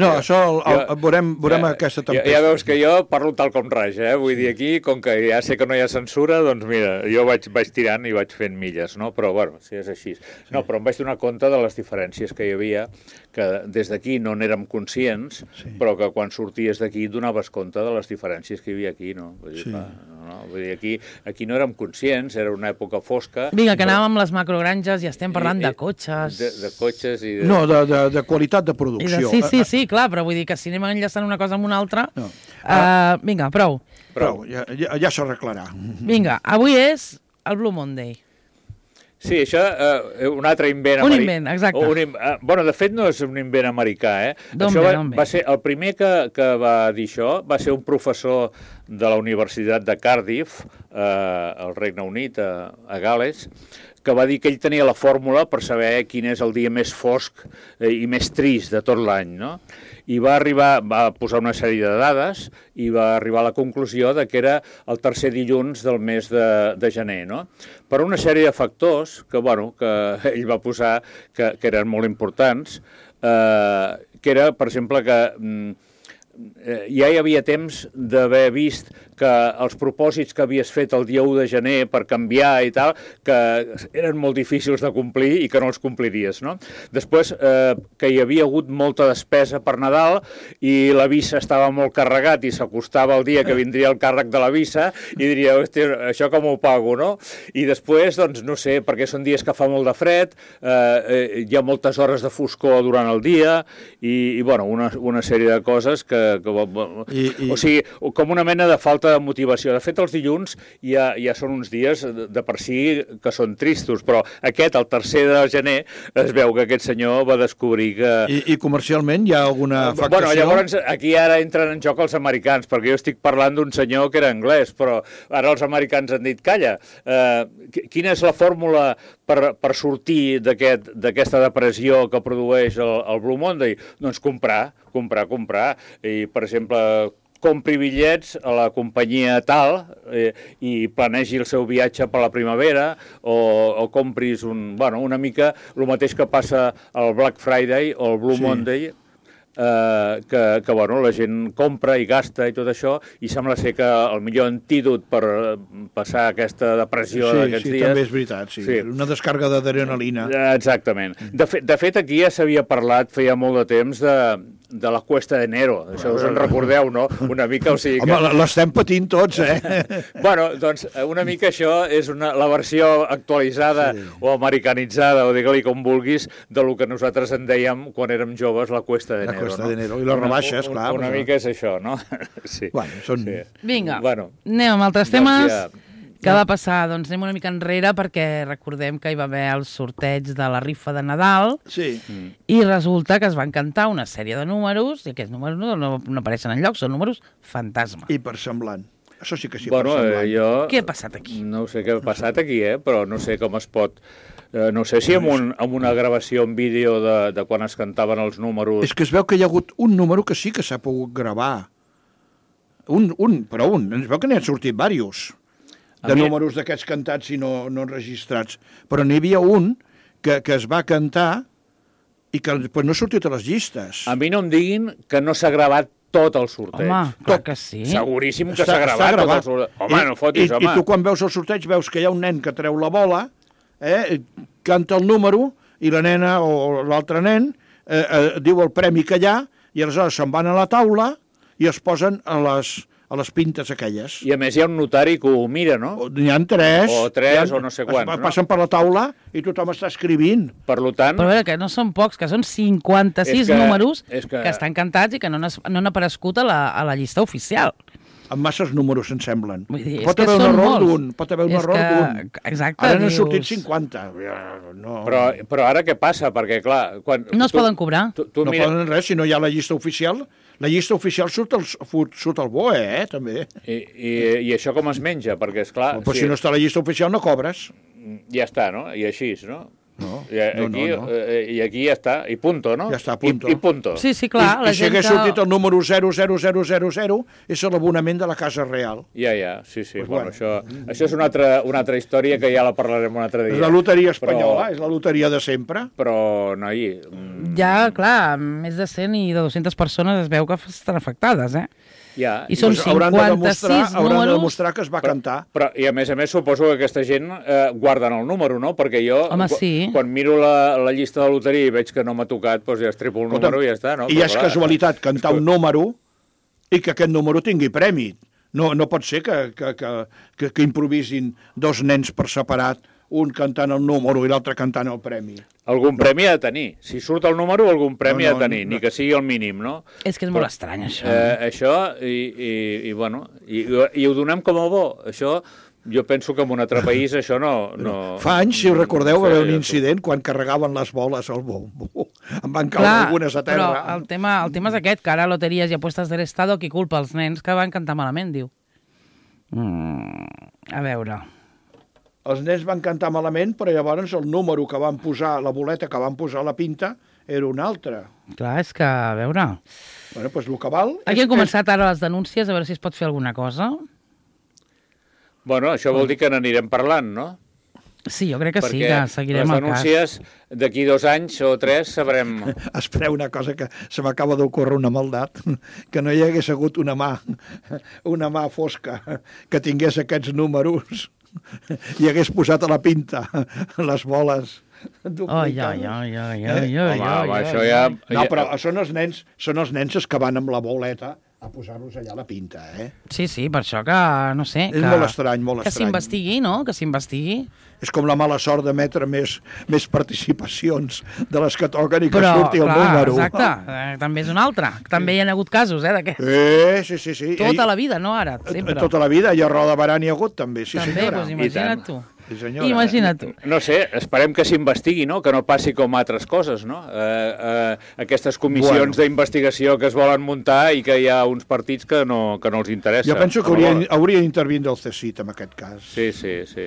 S3: això veurem aquesta tempesta.
S4: Ja veus que jo parlo tal com raig, vull dir, aquí, com que ja sé que no hi ha censura, doncs mira, jo vaig tirant i vaig fent milles, no? Però, bueno, si és així. No, però em vaig donar compte de les diferències que hi havia, que des d'aquí no n'érem conscients, però que quan sorties d'aquí donaves compte de les diferències que hi havia aquí, no? Vull dir, aquí no érem conscients, era una època fosca.
S2: Vinga, que anàvem amb les macrogranges i estem parlant de cotxes.
S4: De cotxes i...
S3: No, de qualitat de producció.
S2: Sí, clar, però vull dir que si anem enllaçant una cosa amb una altra... Vinga, prou.
S3: Ja s'arreglarà.
S2: Vinga, avui és el Blue Monday.
S4: Sí, això, un altre invent americà.
S2: Un invent, exacte.
S4: Bueno, de fet, no és un invent americà,
S2: D'on
S4: va ser el primer que va dir això, va ser un professor de la Universitat de Cardiff, al Regne Unit, a Gal·les, que va dir que ell tenia la fórmula per saber quin és el dia més fosc i més trist de tot l'any, no? I va posar una sèrie de dades i va arribar a la conclusió de que era el tercer dilluns del mes de gener, no? Per una sèrie de factors que ell va posar que eren molt importants, que era, per exemple, que ja hi havia temps d'haver vist que els propòsits que havies fet el dia 1 de gener per canviar i tal, que eren molt difícils de complir i que no els compliries, no? Després, que hi havia hagut molta despesa per Nadal i la visa estava molt carregat i s'acostava el dia que vindria el càrrec de la visa i diria, hòstia, això com ho pago, no? I després, doncs, no sé, perquè són dies que fa molt de fred, hi ha moltes hores de foscor durant el dia i bueno, una sèrie de coses que o sigui, com una mena de falta de motivació. De fet, els dilluns ja són uns dies de per si que són tristos, però aquest, el 3 de gener, es veu que aquest senyor va descobrir que...
S3: I comercialment hi ha alguna afectació?
S4: Bueno, llavors aquí ara entren en joc els americans, perquè jo estic parlant d'un senyor que era anglès, però ara els americans han dit, calla, quina és la fórmula per sortir d'aquesta depressió que produeix el Blue Monday? Doncs comprar. I, per exemple, compri bitllets a la companyia tal i planegi el seu viatge per la primavera o compris una mica el mateix que passa al Black Friday o al Blue Monday, que la gent compra i gasta i tot això, i sembla ser que el millor antídot per passar aquesta depressió d'aquests dies...
S3: Sí, també és veritat, sí. Una descàrrega d'adrenalina.
S4: Exactament. De fet, aquí ja s'havia parlat feia molt de temps de la Cuesta de Enero. Això us en recordeu, no? Una mica, o sigui que...
S3: Home, l'estem patint tots,
S4: Bueno, doncs, una mica això és la versió actualitzada o americanitzada, o digue-li com vulguis, de lo que nosaltres en dèiem quan érem joves, la Cuesta de Enero.
S3: Cuesta de Enero. I les rebaixes, clar.
S4: Una mica és això, no? Sí.
S3: Bueno, són...
S2: Vinga, anem amb altres temes. Què va passar? Doncs anem una mica enrere perquè recordem que hi va haver el sorteig de la rifa de Nadal i resulta que es van cantar una sèrie de números i aquests números no apareixen enlloc, són números fantasma.
S3: I per semblant. Això sí que sí, per semblant.
S2: Què ha passat aquí?
S4: No sé què ha passat aquí, però no sé com es pot... No sé si amb una gravació en vídeo de quan es cantaven els números...
S3: És que es veu que hi ha hagut un número que sí que s'ha pogut gravar. Però un. Es veu que n'hi han sortit diversos de números d'aquests cantats i no enregistrats. Però n'hi havia un que es va cantar i que després no ha sortit a les llistes.
S4: A mi no em diguin que no s'ha gravat tot el sorteig.
S2: Home, clar que sí.
S4: Seguríssim que s'ha gravat tot el sorteig. Home, no fotis, home.
S3: I tu quan veus el sorteig veus que hi ha un nen que treu la bola, canta el número i la nena o l'altre nen diu el premi que hi ha i aleshores se'n van a la taula i es posen a les pintes aquelles.
S4: I a més hi ha un notari que ho mira, no?
S3: N'hi ha tres.
S4: O tres, o no sé quants, no?
S3: Passen per la taula i tothom està escrivint.
S4: Per tant...
S2: Però a veure, que no són pocs, que són 56 números que estan cantats i que no han aparegut a la llista oficial.
S3: Amb masses números, em semblen.
S2: Pot haver un error d'un.
S3: Exacte. Ara n'han sortit 50.
S4: No. Però ara què passa? Perquè, clar...
S2: No es poden cobrar.
S3: No poden res si no hi ha la llista oficial. La llista oficial surt el BOE, també.
S4: I això com es menja? Perquè, esclar...
S3: Però si no està la llista oficial no cobres.
S4: Ja està, no? I així, no?
S3: No.
S4: I aquí ja està, i punto, no?
S3: Ja està, punto.
S4: I punto.
S2: Sí, clar.
S3: I si hagués sortit el número 00000, és l'abonament de la Casa Real.
S4: Ja, sí. Pues bueno, això és una altra història que ja la parlarem un altre dia.
S3: És la loteria espanyola, és la loteria de sempre.
S4: Però, noi...
S2: Ja, clar, més de 100 i de 200 persones es veu que estan afectades,
S4: Ja.
S2: I són 56 números...
S3: Hauran de demostrar que es va cantar.
S4: I a més suposo que aquesta gent guarden el número, no? Perquè jo, quan miro la llista de loteria i veig que no m'ha tocat, doncs ja estripo el número i ja està, no?
S3: I és casualitat cantar un número i que aquest número tingui premi. No pot ser que improvisin dos nens per separat, un cantant el número i l'altre cantant el premi.
S4: Algun premi ha de tenir. Si surt el número, algun premi ha de tenir, ni que sigui el mínim, no?
S2: És que és molt estrany, això.
S4: Això, i ho donem com a bo. Això, jo penso que en un altre país això no...
S3: Fa anys, si us recordeu, va haver un incident quan carregaven les boles al bombo. En van caure algunes a terra.
S2: Però el tema és aquest, que ara Loteries i Apuestas del Estado, qui culpa els nens que van cantar malament, diu. A veure...
S3: Els nens van cantar malament, però llavors el número que van posar, la boleta que van posar a la pinta, era un altre.
S2: Clar, és que, a veure...
S3: Bueno, doncs el que val...
S2: Aquí han començat ara les denúncies, a veure si es pot fer alguna cosa.
S4: Bueno, això vol dir que n'anirem parlant, no?
S2: Sí, jo crec que sí,
S4: perquè
S2: que seguirem
S4: les
S2: el cas.
S4: denúncies d'aquí 2 anys o 3 sabrem...
S3: Espereu una cosa que se m'acaba d'ocórrer una maldat, que no hi hagués hagut una mà fosca que tingués aquests números i hagués posat a la pinta les boles duplicades.
S4: Home, això ja...
S3: No, però són els nens que van amb la boleta a posar-los allà a la pinta, eh?
S2: Sí, per això que, no sé...
S3: És molt estrany, molt
S2: que
S3: estrany.
S2: s'investigui, no? Que s'investigui.
S3: És com la mala sort d'emetre més participacions de les que toquen i que surti el número.
S2: Exacte, també és un altre. També hi ha hagut casos, d'aquest.
S3: Sí.
S2: Tota la vida, no ara, sempre.
S3: Tota la vida, i a Roda Barà n'hi ha hagut, també, sí
S2: també,
S3: senyora.
S2: Doncs imagina't tu.
S3: Sí, senyora.
S2: Imagina't tu.
S4: No sé, esperem que s'investigui, no? Que no passi com altres coses, no? Aquestes comissions d'investigació que es volen muntar i que hi ha uns partits que no els interessa.
S3: Jo penso que hauria d'intervindre el CSIT en aquest cas.
S4: Sí.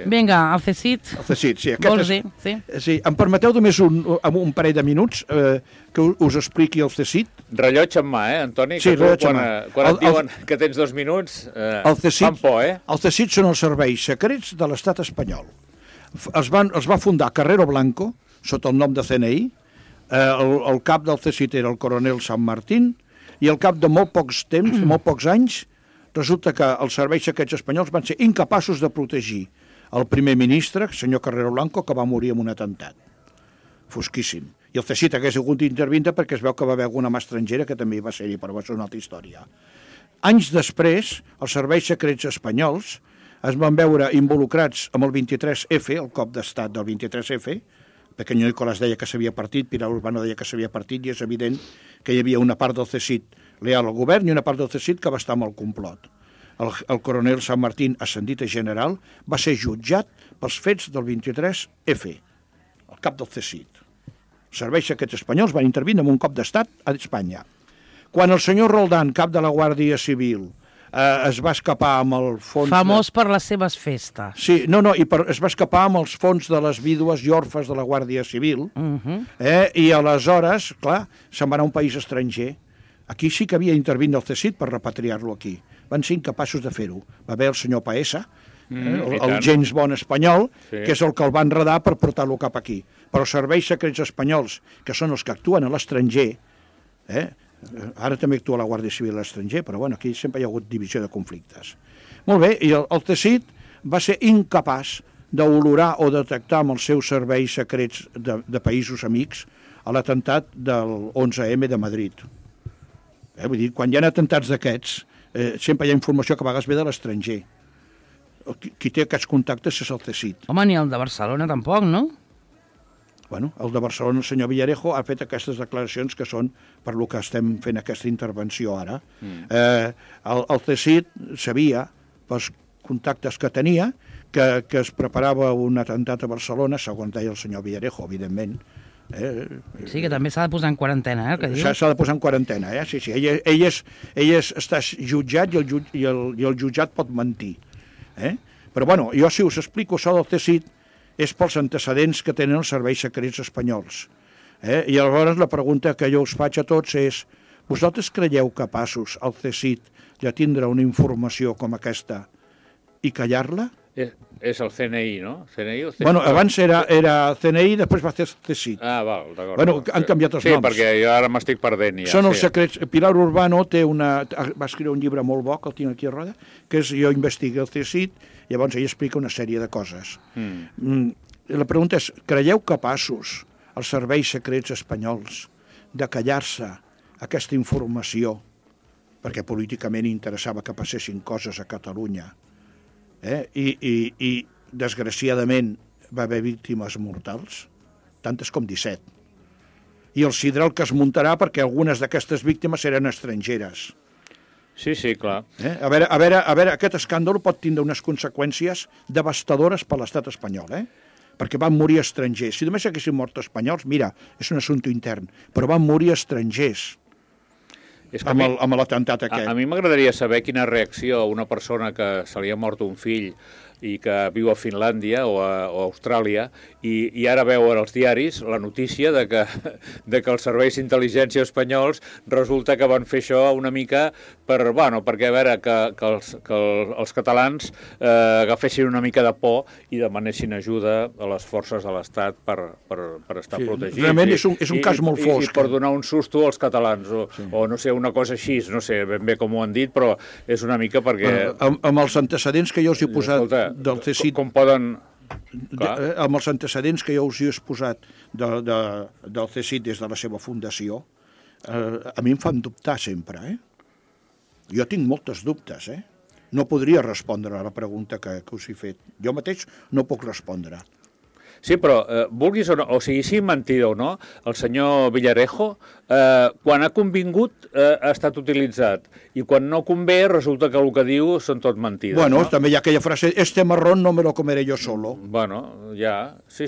S2: Vinga, el CSIT.
S3: El CSIT, sí.
S2: Vols dir? Sí.
S3: Sí, em permeteu només un parell de minuts que us expliqui el CSIT?
S4: Rellotge en mà, Antoni?
S3: Sí, rellotge en mà.
S4: Quan et diuen que tens 2 minuts, fan por,
S3: El CSIT són els serveis secrets de l'estat espanyol. Els va fundar Carrero Blanco, sota el nom de CNI, el cap del CSIT era el coronel San Martín, i al cap de molt pocs anys, resulta que els serveis secrets espanyols van ser incapaços de protegir el primer ministre, el senyor Carrero Blanco, que va morir en un atemptat. Fosquíssim. I el CSIT hagués hagut d'intervindre perquè es veu que va haver alguna mà estrangera que també hi va ser-hi, però va ser una altra història. Anys després, els serveis secrets espanyols es van veure involucrats amb el 23F, el cop d'estat del 23F, Pequeño Nicolás deia que s'havia partit, Pilar Urbano deia que s'havia partit, i és evident que hi havia una part del CSIT leal al govern i una part del CSIT que va estar amb el complot. El coronel San Martín, ascendit a general, va ser jutjat pels fets del 23F, el cap del CSIT. Els serveis secrets espanyols van intervenir en un cop d'estat a Espanya. Quan el senyor Roldán, cap de la Guàrdia Civil, es va escapar amb el fons...
S2: Famós per les seves festes.
S3: Sí, es va escapar amb els fons de les vídues i orfes de la Guàrdia Civil, i aleshores, clar, se'n va anar a un país estranger. Aquí sí que havia intervint el CSIT per repatriar-lo aquí. Van ser incapaços de fer-ho. Va haver el senyor Paesa, el James Bond espanyol, que és el que el va enredar per portar-lo cap aquí. Però els serveis secrets espanyols, que són els que actuen a l'estranger, ara també actua la Guàrdia Civil a l'estranger, però bueno, aquí sempre hi ha hagut divisió de conflictes. Molt bé, i el CSIT va ser incapaç d'olorar o detectar amb els seus serveis secrets de països amics a l'atemptat del 11M de Madrid. Vull dir, quan hi ha atemptats d'aquests, sempre hi ha informació que a vegades ve de l'estranger. Qui té aquests contactes és el CSIT.
S2: Home, ni el de Barcelona tampoc, no?
S3: Bueno, el de Barcelona, el senyor Villarejo, ha fet aquestes declaracions que són per lo que estem fent aquesta intervenció ara. El CSIT sabia, pels contactes que tenia, que es preparava un atemptat a Barcelona, segons deia el senyor Villarejo, evidentment.
S2: Sí, que també s'ha de posar en quarantena, el que diu.
S3: S'ha de posar en quarantena, sí. Ell està jutjat i el jutjat pot mentir. Però bueno, jo si us explico això del CSIT, és pels antecedents que tenen els serveis secrets espanyols. I aleshores la pregunta que jo us faig a tots és: vosaltres creieu capaços, el CSIT, de tindre una informació com aquesta i callar-la?
S4: És el CNI, no? CNI, el CNI?
S3: Bueno, abans era CNI, després va ser CSIT.
S4: Ah, val, d'acord.
S3: Bueno, han canviat els noms.
S4: Sí, perquè jo ara m'estic perdent. Ja,
S3: són els secrets. Pilar Urbano va escriure un llibre molt bo, que el tinc aquí a roda, que és Jo investigo el CSIT, llavors ell explica una sèrie de coses. La pregunta és: creieu capaços els serveis secrets espanyols de callar-se aquesta informació perquè políticament interessava que passessin coses a Catalunya? I desgraciadament va haver víctimes mortals, tantes com 17. I el sidral que es muntarà perquè algunes d'aquestes víctimes eren estrangeres.
S4: Sí, clar.
S3: A veure, aquest escàndol pot tindre unes conseqüències devastadores per l'estat espanyol, perquè van morir estrangers. Si només haguessin mort espanyols, mira, és un assumpte intern, però van morir estrangers.
S4: És que
S3: amb l'atemptat aquest.
S4: A mi m'agradaria saber quina reacció a una persona que se li ha mort un fill i que viu a Finlàndia o a Austràlia i ara veuen els diaris la notícia de que els serveis d'intel·ligència espanyols resulta que van fer això una mica perquè a veure que els catalans agafessin una mica de por i demanessin ajuda a les forces de l'Estat per estar protegits.
S3: Realment és un cas molt fosc.
S4: I per donar un susto als catalans o no sé, una cosa així, no sé ben bé com ho han dit, però és una mica perquè...
S3: Amb els antecedents que jo us he posat del CSIC...
S4: Com poden...
S3: Amb els antecedents que jo us he exposat del CSIC des de la seva fundació, a mi em fan dubtar sempre, Jo tinc moltes dubtes, No podria respondre a la pregunta que us he fet. Jo mateix no puc respondre.
S4: Sí, però vulguis o no, o sigui, sí mentida o no, el senyor Villarejo, quan ha convingut ha estat utilitzat i quan no convé resulta que el que diu són tot mentides.
S3: Bueno, també hi ha aquella frase, este marrón no me lo comeré yo solo.
S4: Bueno, ja, sí,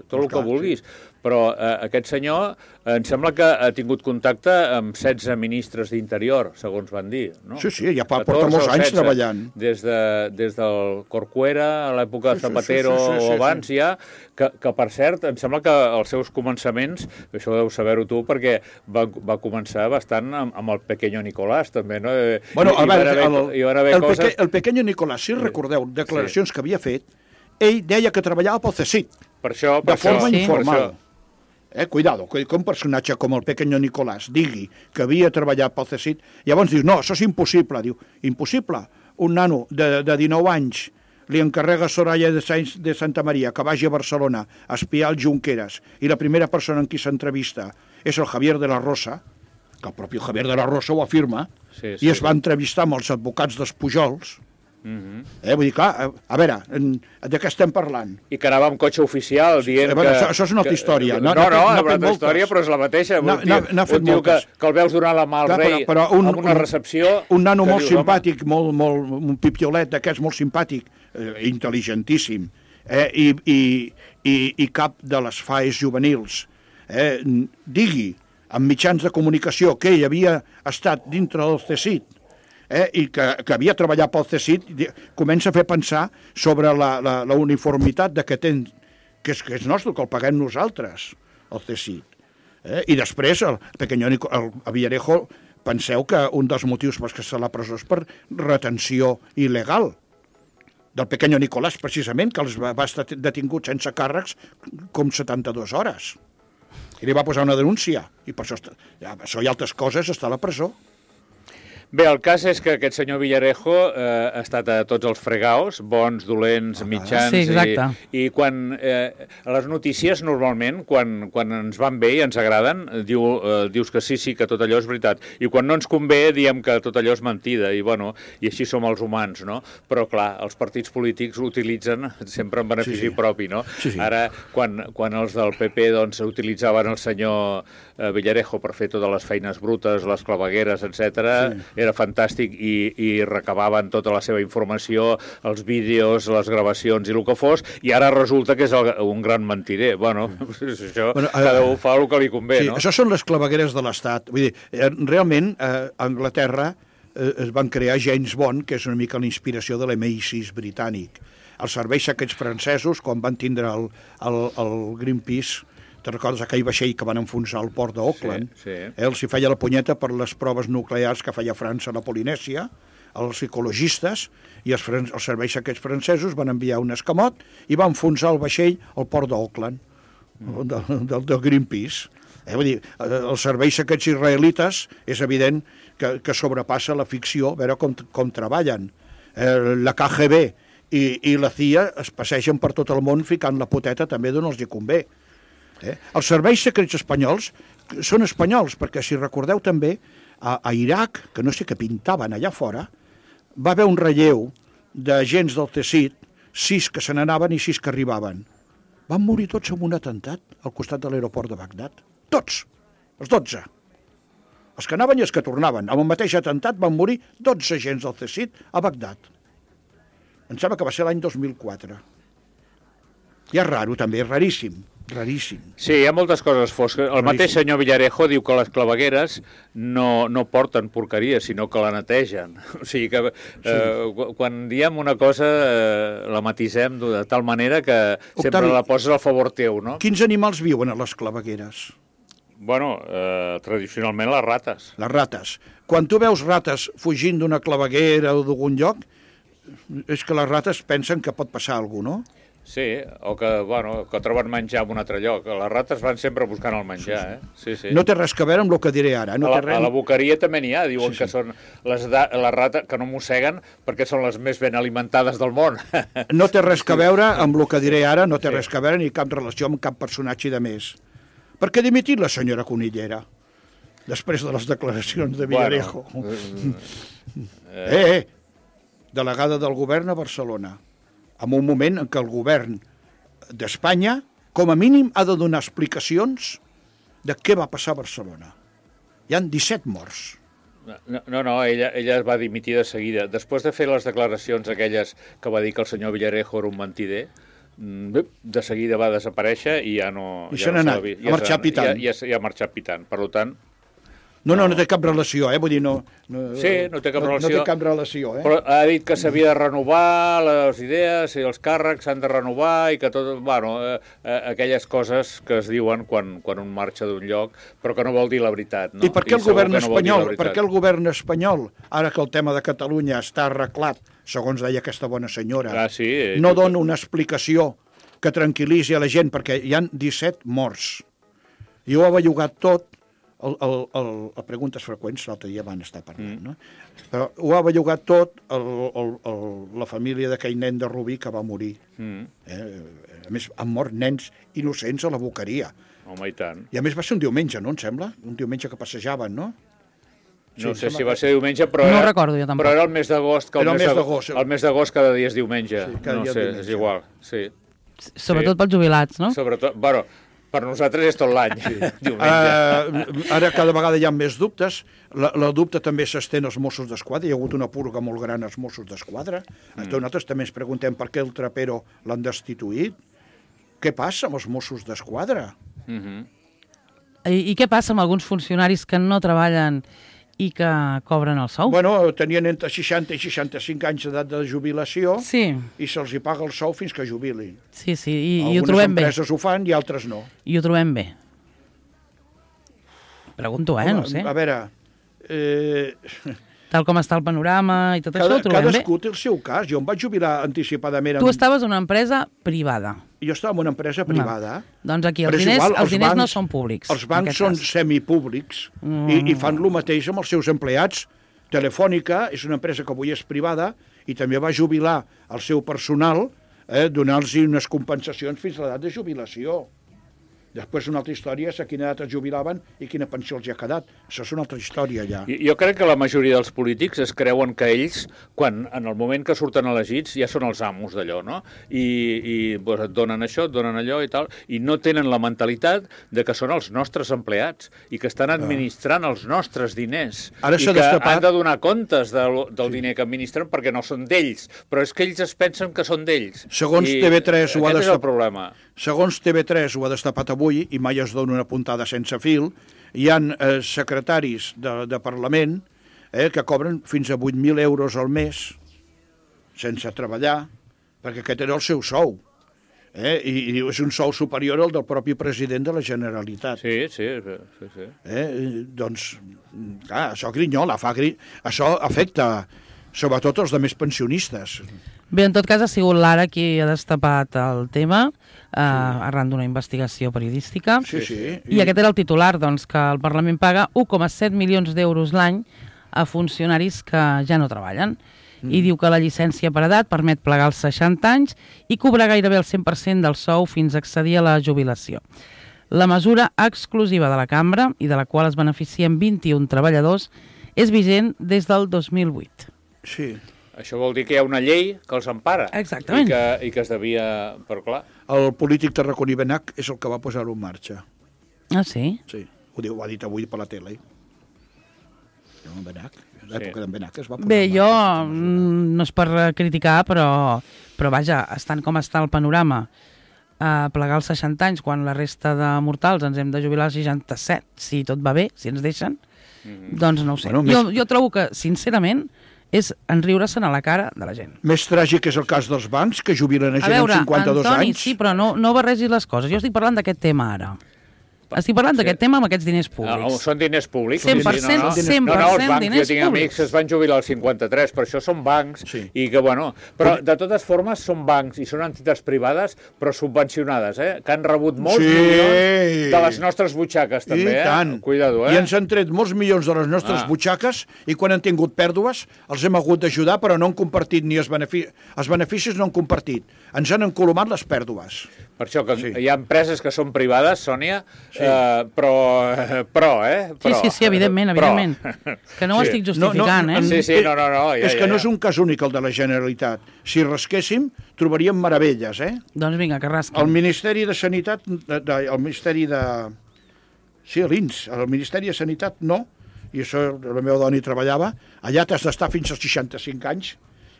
S4: tot el que vulguis. Però aquest senyor em sembla que ha tingut contacte amb 16 ministres d'Interior, segons van dir, no?
S3: Sí, ja porta molts anys treballant.
S4: Des del Corcuera, a l'època de Zapatero o abans ja, que per cert, em sembla que els seus començaments, això deu saber-ho tu, perquè va començar bastant amb el Pequeño Nicolás, també, no?
S3: Bueno, el Pequeño Nicolás, si recordeu, declaracions que havia fet, ell deia que treballava pel CSIC. De forma informal. Cuidado, que un personatge com el Pequeño Nicolás digui que havia treballat pel CSIC, llavors dius, no, això és impossible. Diu, impossible? Un nano de 19 anys li encarrega a Soraya de Santa Maria que vagi a Barcelona a espiar el Junqueras i la primera persona en qui s'entrevista és el Javier de la Rosa, que el propi Javier de la Rosa ho afirma, i es va entrevistar amb els advocats dels Pujols. Vull dir, clar, a veure, de què estem parlant?
S4: I que anava amb cotxe oficial dient que...
S3: Això és una altra història.
S4: No, una altra història, però és la mateixa. Un tio que el veus donar la mà al rei amb una recepció...
S3: Un nano molt simpàtic, un pipiolet d'aquests molt simpàtic, intel·ligentíssim, i cap de les FAEs juvenils, digui, amb mitjans de comunicació, que ell havia estat dintre del CSIC, i que havia treballat pel CSIC, comença a fer pensar sobre la uniformitat que és nostre, que el paguem nosaltres, el CSIC. I després, el Villarejo, penseu que un dels motius per què està a la presó és per retenció il·legal del Pequeño Nicolás, precisament, que va estar detingut sense càrrecs com 72 hores. I li va posar una denúncia, i per això i altres coses està a la presó.
S4: Bé, el cas és que aquest senyor Villarejo ha estat a tots els fregaus, bons, dolents, mitjans...
S2: Sí, exacte.
S4: I quan les notícies, normalment, quan ens van bé i ens agraden, dius que sí, que tot allò és veritat. I quan no ens convé, diem que tot allò és mentida. I, bueno, i així som els humans, no? Però, clar, els partits polítics ho utilitzen sempre en benefici propi, no? Sí. Ara, quan els del PP doncs, utilitzaven el senyor Villarejo per fer totes les feines brutes, les clavegueres, etc. Era fantàstic i recabaven tota la seva informació, els vídeos, les gravacions i el que fos, i ara resulta que és un gran mentider. Bueno, això cada un fa el que li convé, no?
S3: Això són les clavegueres de l'Estat. Vull dir, realment, a Anglaterra es van crear James Bond, que és una mica la inspiració de l'MI6 britànic. Els serveis secrets francesos, quan van tindre el Greenpeace, te'n recordes aquell vaixell que van enfonsar al port d'Auckland?
S4: Sí.
S3: Els hi feia la punyeta per les proves nuclears que feia França a la Polinèsia, els ecologistes i els serveis aquests francesos van enviar un escamot i van enfonsar el vaixell al port d'Auckland, del Greenpeace. Vull dir, els serveis aquests israelites és evident que sobrepassa la ficció, a veure com treballen. La KGB i la CIA es passegen per tot el món ficant la poteta també d'on els hi convé. Els serveis secrets espanyols són espanyols, perquè si recordeu també, a Iraq, que no sé què pintaven allà fora, va haver un relleu d'agents del CSIC, 6 que se n'anaven i 6 que arribaven. Van morir tots en un atemptat al costat de l'aeroport de Bagdad. Tots, els 12. Els que anaven i els que tornaven. Amb el mateix atemptat van morir 12 agents del CSIC a Bagdad. Em sembla que va ser l'any 2004. I és raro també, és raríssim. Raríssim.
S4: Sí, hi ha moltes coses fosques. El mateix senyor Villarejo diu que les clavegueres no porten porqueria, sinó que la netegen. O sigui que quan diem una cosa la matisem de tal manera que sempre la poses al favor teu, no?
S3: Quins animals viuen a les clavegueres?
S4: Bueno, tradicionalment les rates.
S3: Les rates. Quan tu veus rates fugint d'una claveguera o d'algun lloc, és que les rates pensen que pot passar alguna cosa, no?
S4: Sí, o que troben menjar en un altre lloc. Les rates van sempre buscant el menjar, Sí.
S3: No té res a veure amb el que diré ara.
S4: A la boqueria també n'hi ha, diuen que són les rates que no mosseguen perquè són les més ben alimentades del món.
S3: No té res a veure amb el que diré ara, no té res a veure ni cap relació amb cap personatge de més. Per què ha dimitit la senyora Conillera? Després de les declaracions de Villarejo. Delegada del govern a Barcelona. En un moment en què el govern d'Espanya, com a mínim, ha de donar explicacions de què va passar a Barcelona. Hi han 17 morts.
S4: No, ella es va dimitir de seguida. Després de fer les declaracions aquelles que va dir que el senyor Villarejo era un mentider, de seguida va desaparèixer i ja no...
S3: I se n'ha anat, ha marxat pitant.
S4: Ja ha marxat pitant, per tant...
S3: No té cap relació, vull dir,
S4: Sí, no té cap relació.
S3: No té cap relació,
S4: Però ha dit que s'havia de renovar les idees i els càrrecs s'han de renovar i que tot... Bueno, aquelles coses que es diuen quan un marxa d'un lloc, però que no vol dir la veritat, no?
S3: I per què el govern espanyol, ara que el tema de Catalunya està arreglat, segons deia aquesta bona senyora, no dona una explicació que tranquil·litzi a la gent, perquè hi han 17 morts. I ho ha bellugat tot. A preguntes freqüents, l'altre dia van estar parlant, no? Però ho ha bellugat tot la família d'aquell nen de Rubí que va morir. A més, han mort nens innocents a la boqueria.
S4: Home, i tant.
S3: I a més va ser un diumenge, no, em sembla? Un diumenge que passejaven, no?
S4: No sé si va ser diumenge, però
S2: no recordo jo tampoc.
S4: Però era el mes d'agost, que el mes d'agost cada dia és diumenge. No sé, és igual, sí.
S2: Sobretot pels jubilats, no?
S4: Sobretot, bueno, per nosaltres és tot l'any, diumenge.
S3: Ara cada vegada hi ha més dubtes. La dubte també s'estén als Mossos d'Esquadra. Hi ha hagut una purga molt gran als Mossos d'Esquadra. Nosaltres també ens preguntem per què el Trapero l'han destituït. Què passa amb els Mossos d'Esquadra?
S2: I què passa amb alguns funcionaris que no treballen i que cobren el sou?
S3: Bueno, tenien entre 60 i 65 anys d'edat de jubilació i se'ls hi paga el sou fins que jubilin.
S2: Sí, i ho trobem bé.
S3: Algunes empreses ho fan i altres no.
S2: I ho trobem bé. Pregunto, no sé.
S3: A veure...
S2: Tal com està el panorama i tot això, ho trobem bé.
S3: Cadascú té el seu cas. Jo em vaig jubilar anticipadament.
S2: Tu estaves en una empresa privada.
S3: Jo estava en una empresa privada.
S2: Doncs aquí els diners no són públics.
S3: Els bancs són semipúblics i fan el mateix amb els seus empleats. Telefònica és una empresa que avui és privada i també va jubilar el seu personal, donar-los unes compensacions fins a l'edat de jubilació. Després una altra història és a quina edat es jubilaven i quina pensió els hi ha quedat. Això és una altra història, ja.
S4: Jo crec que la majoria dels polítics es creuen que ells, en el moment que surten elegits, ja són els amos d'allò, no? I et donen això, et donen allò i tal, i no tenen la mentalitat de que són els nostres empleats i que estan administrant els nostres diners i que han de donar comptes del diner que administren perquè no són d'ells, però és que ells es pensen que són d'ells.
S3: Segons TV3 ho ha
S4: destapat. Aquest és el problema.
S3: Segons TV3 ho ha destapat avui, i mai es dona una puntada sense fil, hi ha secretaris de Parlament que cobren fins a 8.000 euros al mes sense treballar, perquè aquest era el seu sou. I és un sou superior al del propi president de la Generalitat.
S4: Sí.
S3: Doncs, clar, això grinyola, això afecta sobretot els demés pensionistes.
S2: Bé, en tot cas ha sigut l'Ara qui ha destapat el tema arran d'una investigació periodística.
S3: Sí.
S2: I aquest era el titular, doncs, que el Parlament paga 1,7 milions d'euros l'any a funcionaris que ja no treballen. I diu que la llicència per edat permet plegar als 60 anys i cobrar gairebé el 100% del sou fins a accedir a la jubilació. La mesura exclusiva de la cambra, i de la qual es beneficien 21 treballadors, és vigent des del 2008.
S3: Sí.
S4: Això vol dir que hi ha una llei que els empara.
S2: Exactament.
S4: I que es devia... Però clar...
S3: El polític tarraconí Benach és el que va posar-ho en marxa.
S2: Ah, sí?
S3: Sí, ho ha dit avui per la tele. Benach, l'època d'en Benach es va posar
S2: Bé,
S3: en marxa.
S2: Jo no és per criticar, però vaja, estant com està el panorama, plegar als 60 anys quan la resta de mortals ens hem de jubilar als 67, si tot va bé, si ens deixen, doncs no ho sé. Jo trobo que, sincerament, és enriure-se'n a la cara de la gent.
S3: Més tràgic és el cas dels bancs, que jubilen a gent amb 52
S2: Antoni,
S3: anys.
S2: sí, però no barregis les coses. Jo estic parlant d'aquest tema ara. Estic parlant d'aquest tema amb aquests diners públics.
S4: Són diners públics.
S2: 100%,
S4: no,
S2: 100%
S4: els bancs,
S2: diners
S4: jo tinc amics que es van jubilar als 53, per això són bancs, i que, bueno... Però, de totes formes, són bancs i són entitats privades, però subvencionades, que han rebut molts milions de les nostres butxaques, també,
S3: tant.
S4: Cuidado,
S3: I ens han tret molts milions de les nostres butxaques i quan han tingut pèrdues els hem hagut d'ajudar, però no han compartit ni els beneficis no han compartit. Ens han encolomat les pèrdues.
S4: Per això que hi ha empreses que són privades, Sònia, però.
S2: Sí, evidentment. Que no ho estic justificant,
S4: Sí, no.
S3: És que no és un cas únic el de la Generalitat. Si rasquéssim, trobaríem meravelles,
S2: Doncs vinga, que rasquin.
S3: El Ministeri de Sanitat, el Ministeri de... Sí, l'INS, el Ministeri de Sanitat no, i això la meva dona hi treballava, allà t'has d'estar fins als 65 anys,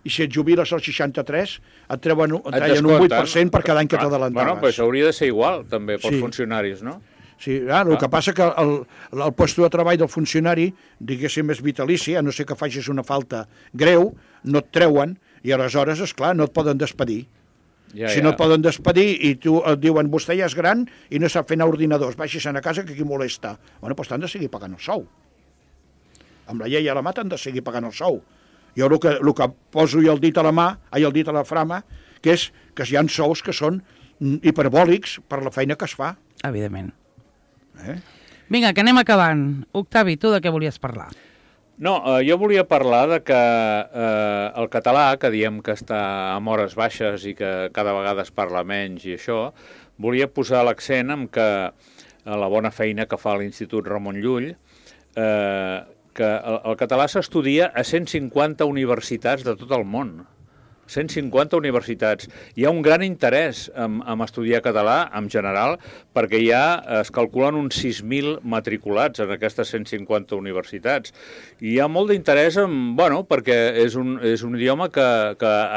S3: i si et jubiles als 63 et treien un 8% per cada any que t'adelantaves.
S4: Bueno, però això hauria de ser igual, també, pels funcionaris, no?
S3: Sí, el que passa que el puesto de treball del funcionari, diguéssim, és vitalici, a no ser que facis una falta greu, no et treuen, i aleshores, esclar, no et poden despedir. Si no et poden despedir i tu et diuen vostè ja és gran i no sap fer anar ordinadors, baixis a casa que aquí molesta. Bueno, doncs t'han de seguir pagant el sou. Amb la llei a la mà t'han de seguir pagant el sou. Jo el que poso el dit a la mà, el dit a la frama, que és que hi ha sous que són hiperbòlics per la feina que es fa.
S2: Evidentment. Vinga, que anem acabant. Octavi, tu de què volies parlar?
S4: No, jo volia parlar de que el català, que diem que està amb hores baixes i que cada vegada es parla menys i això, volia posar l'accent en que la bona feina que fa l'Institut Ramon Llull, que el català s'estudia a 150 universitats de tot el món. 150 universitats. Hi ha un gran interès en estudiar català, en general, perquè es calculen uns 6.000 matriculats en aquestes 150 universitats. I hi ha molt d'interès, perquè és un idioma que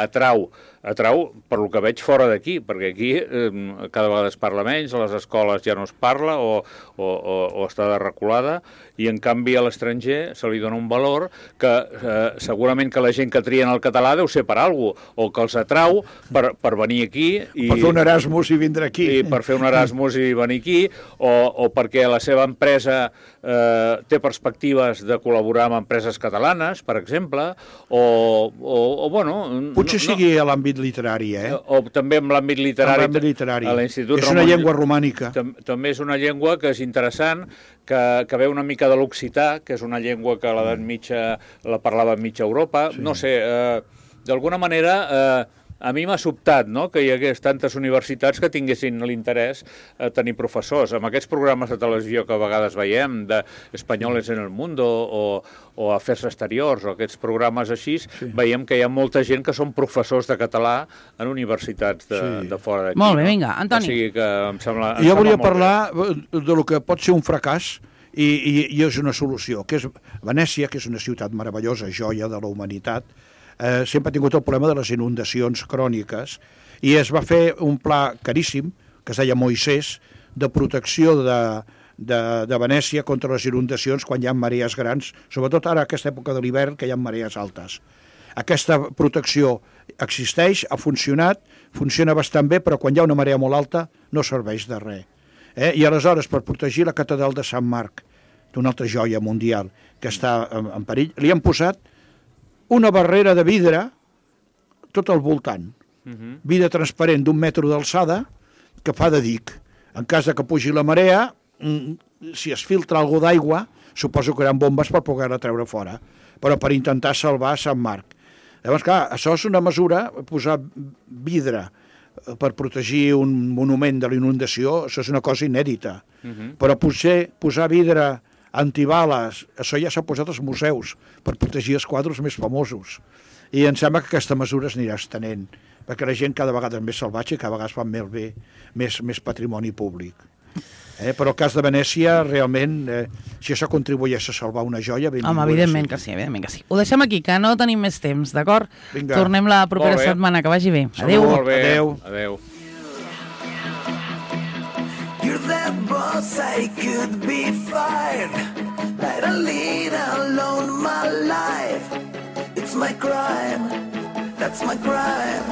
S4: atrau per lo que veig fora d'aquí, perquè aquí cada vegada es parla menys, a les escoles ja no es parla o està reculada, i en canvi a l'estranger se li dona un valor que segurament que la gent que trien el català deu ser per alguna cosa, o que els atrau per venir aquí.
S3: Per fer un Erasmus i vindre aquí.
S4: I per fer un Erasmus i venir aquí, o perquè la seva empresa té perspectives de col·laborar amb empreses catalanes, per exemple,
S3: potser sigui a l'àmbit literari,
S4: o també en l'àmbit literari. A l'Institut
S3: és una llengua romànica.
S4: També és una llengua que és interessant, que ve una mica de l'occità, que és una llengua que a l'edat mitja la parlava en mitja Europa. No sé, d'alguna manera a mi m'ha sobtat que hi hagués tantes universitats que tinguessin l'interès a tenir professors. Amb aquests programes de televisió que a vegades veiem, d'Espanyoles en el Mundo o Afers Exteriors, o aquests programes així, veiem que hi ha molta gent que són professors de català en universitats de fora d'aquí.
S2: Molt bé, vinga, Antoni.
S4: O sigui que em sembla
S3: jo volia parlar de lo que pot ser un fracàs i és una solució, que és Venècia, que és una ciutat meravellosa, joia de la humanitat, sempre ha tingut el problema de les inundacions cròniques i es va fer un pla caríssim, que es deia Moisès, de protecció de Venècia contra les inundacions quan hi ha marees grans, sobretot ara a aquesta època de l'hivern que hi ha marees altes. Aquesta protecció existeix, ha funcionat, funciona bastant bé, però quan hi ha una marea molt alta no serveix de res. I aleshores, per protegir la catedral de Sant Marc, d'una altra joia mundial que està en perill, li han posat una barrera de vidre tot al voltant. Vidre transparent d'1 metre d'alçada que fa de dic. En cas de que pugi la marea, si es filtra alguna d'aigua, suposo que hi ha bombes per poder-la treure fora, però per intentar salvar Sant Marc. Llavors, clar, això és una mesura, posar vidre per protegir un monument de la inundació, això és una cosa inèdita. Però potser posar vidre antibales, això ja s'ha posat als museus per protegir els quadres més famosos. I em sembla que aquesta mesura es anirà estenent, perquè la gent cada vegada és més salvatge i cada vegada es fa més patrimoni públic. Però el cas de Venècia, realment, si això contribueix a salvar una joia, benvingut.
S2: Home, evidentment que sí, evidentment que sí. Ho deixem aquí, que no tenim més temps, d'acord? Tornem la propera setmana, que vagi bé. Adéu.
S4: Molt bé. Adéu.
S1: 'cause I could be fine. Let a lead alone my life. It's my crime, that's my crime.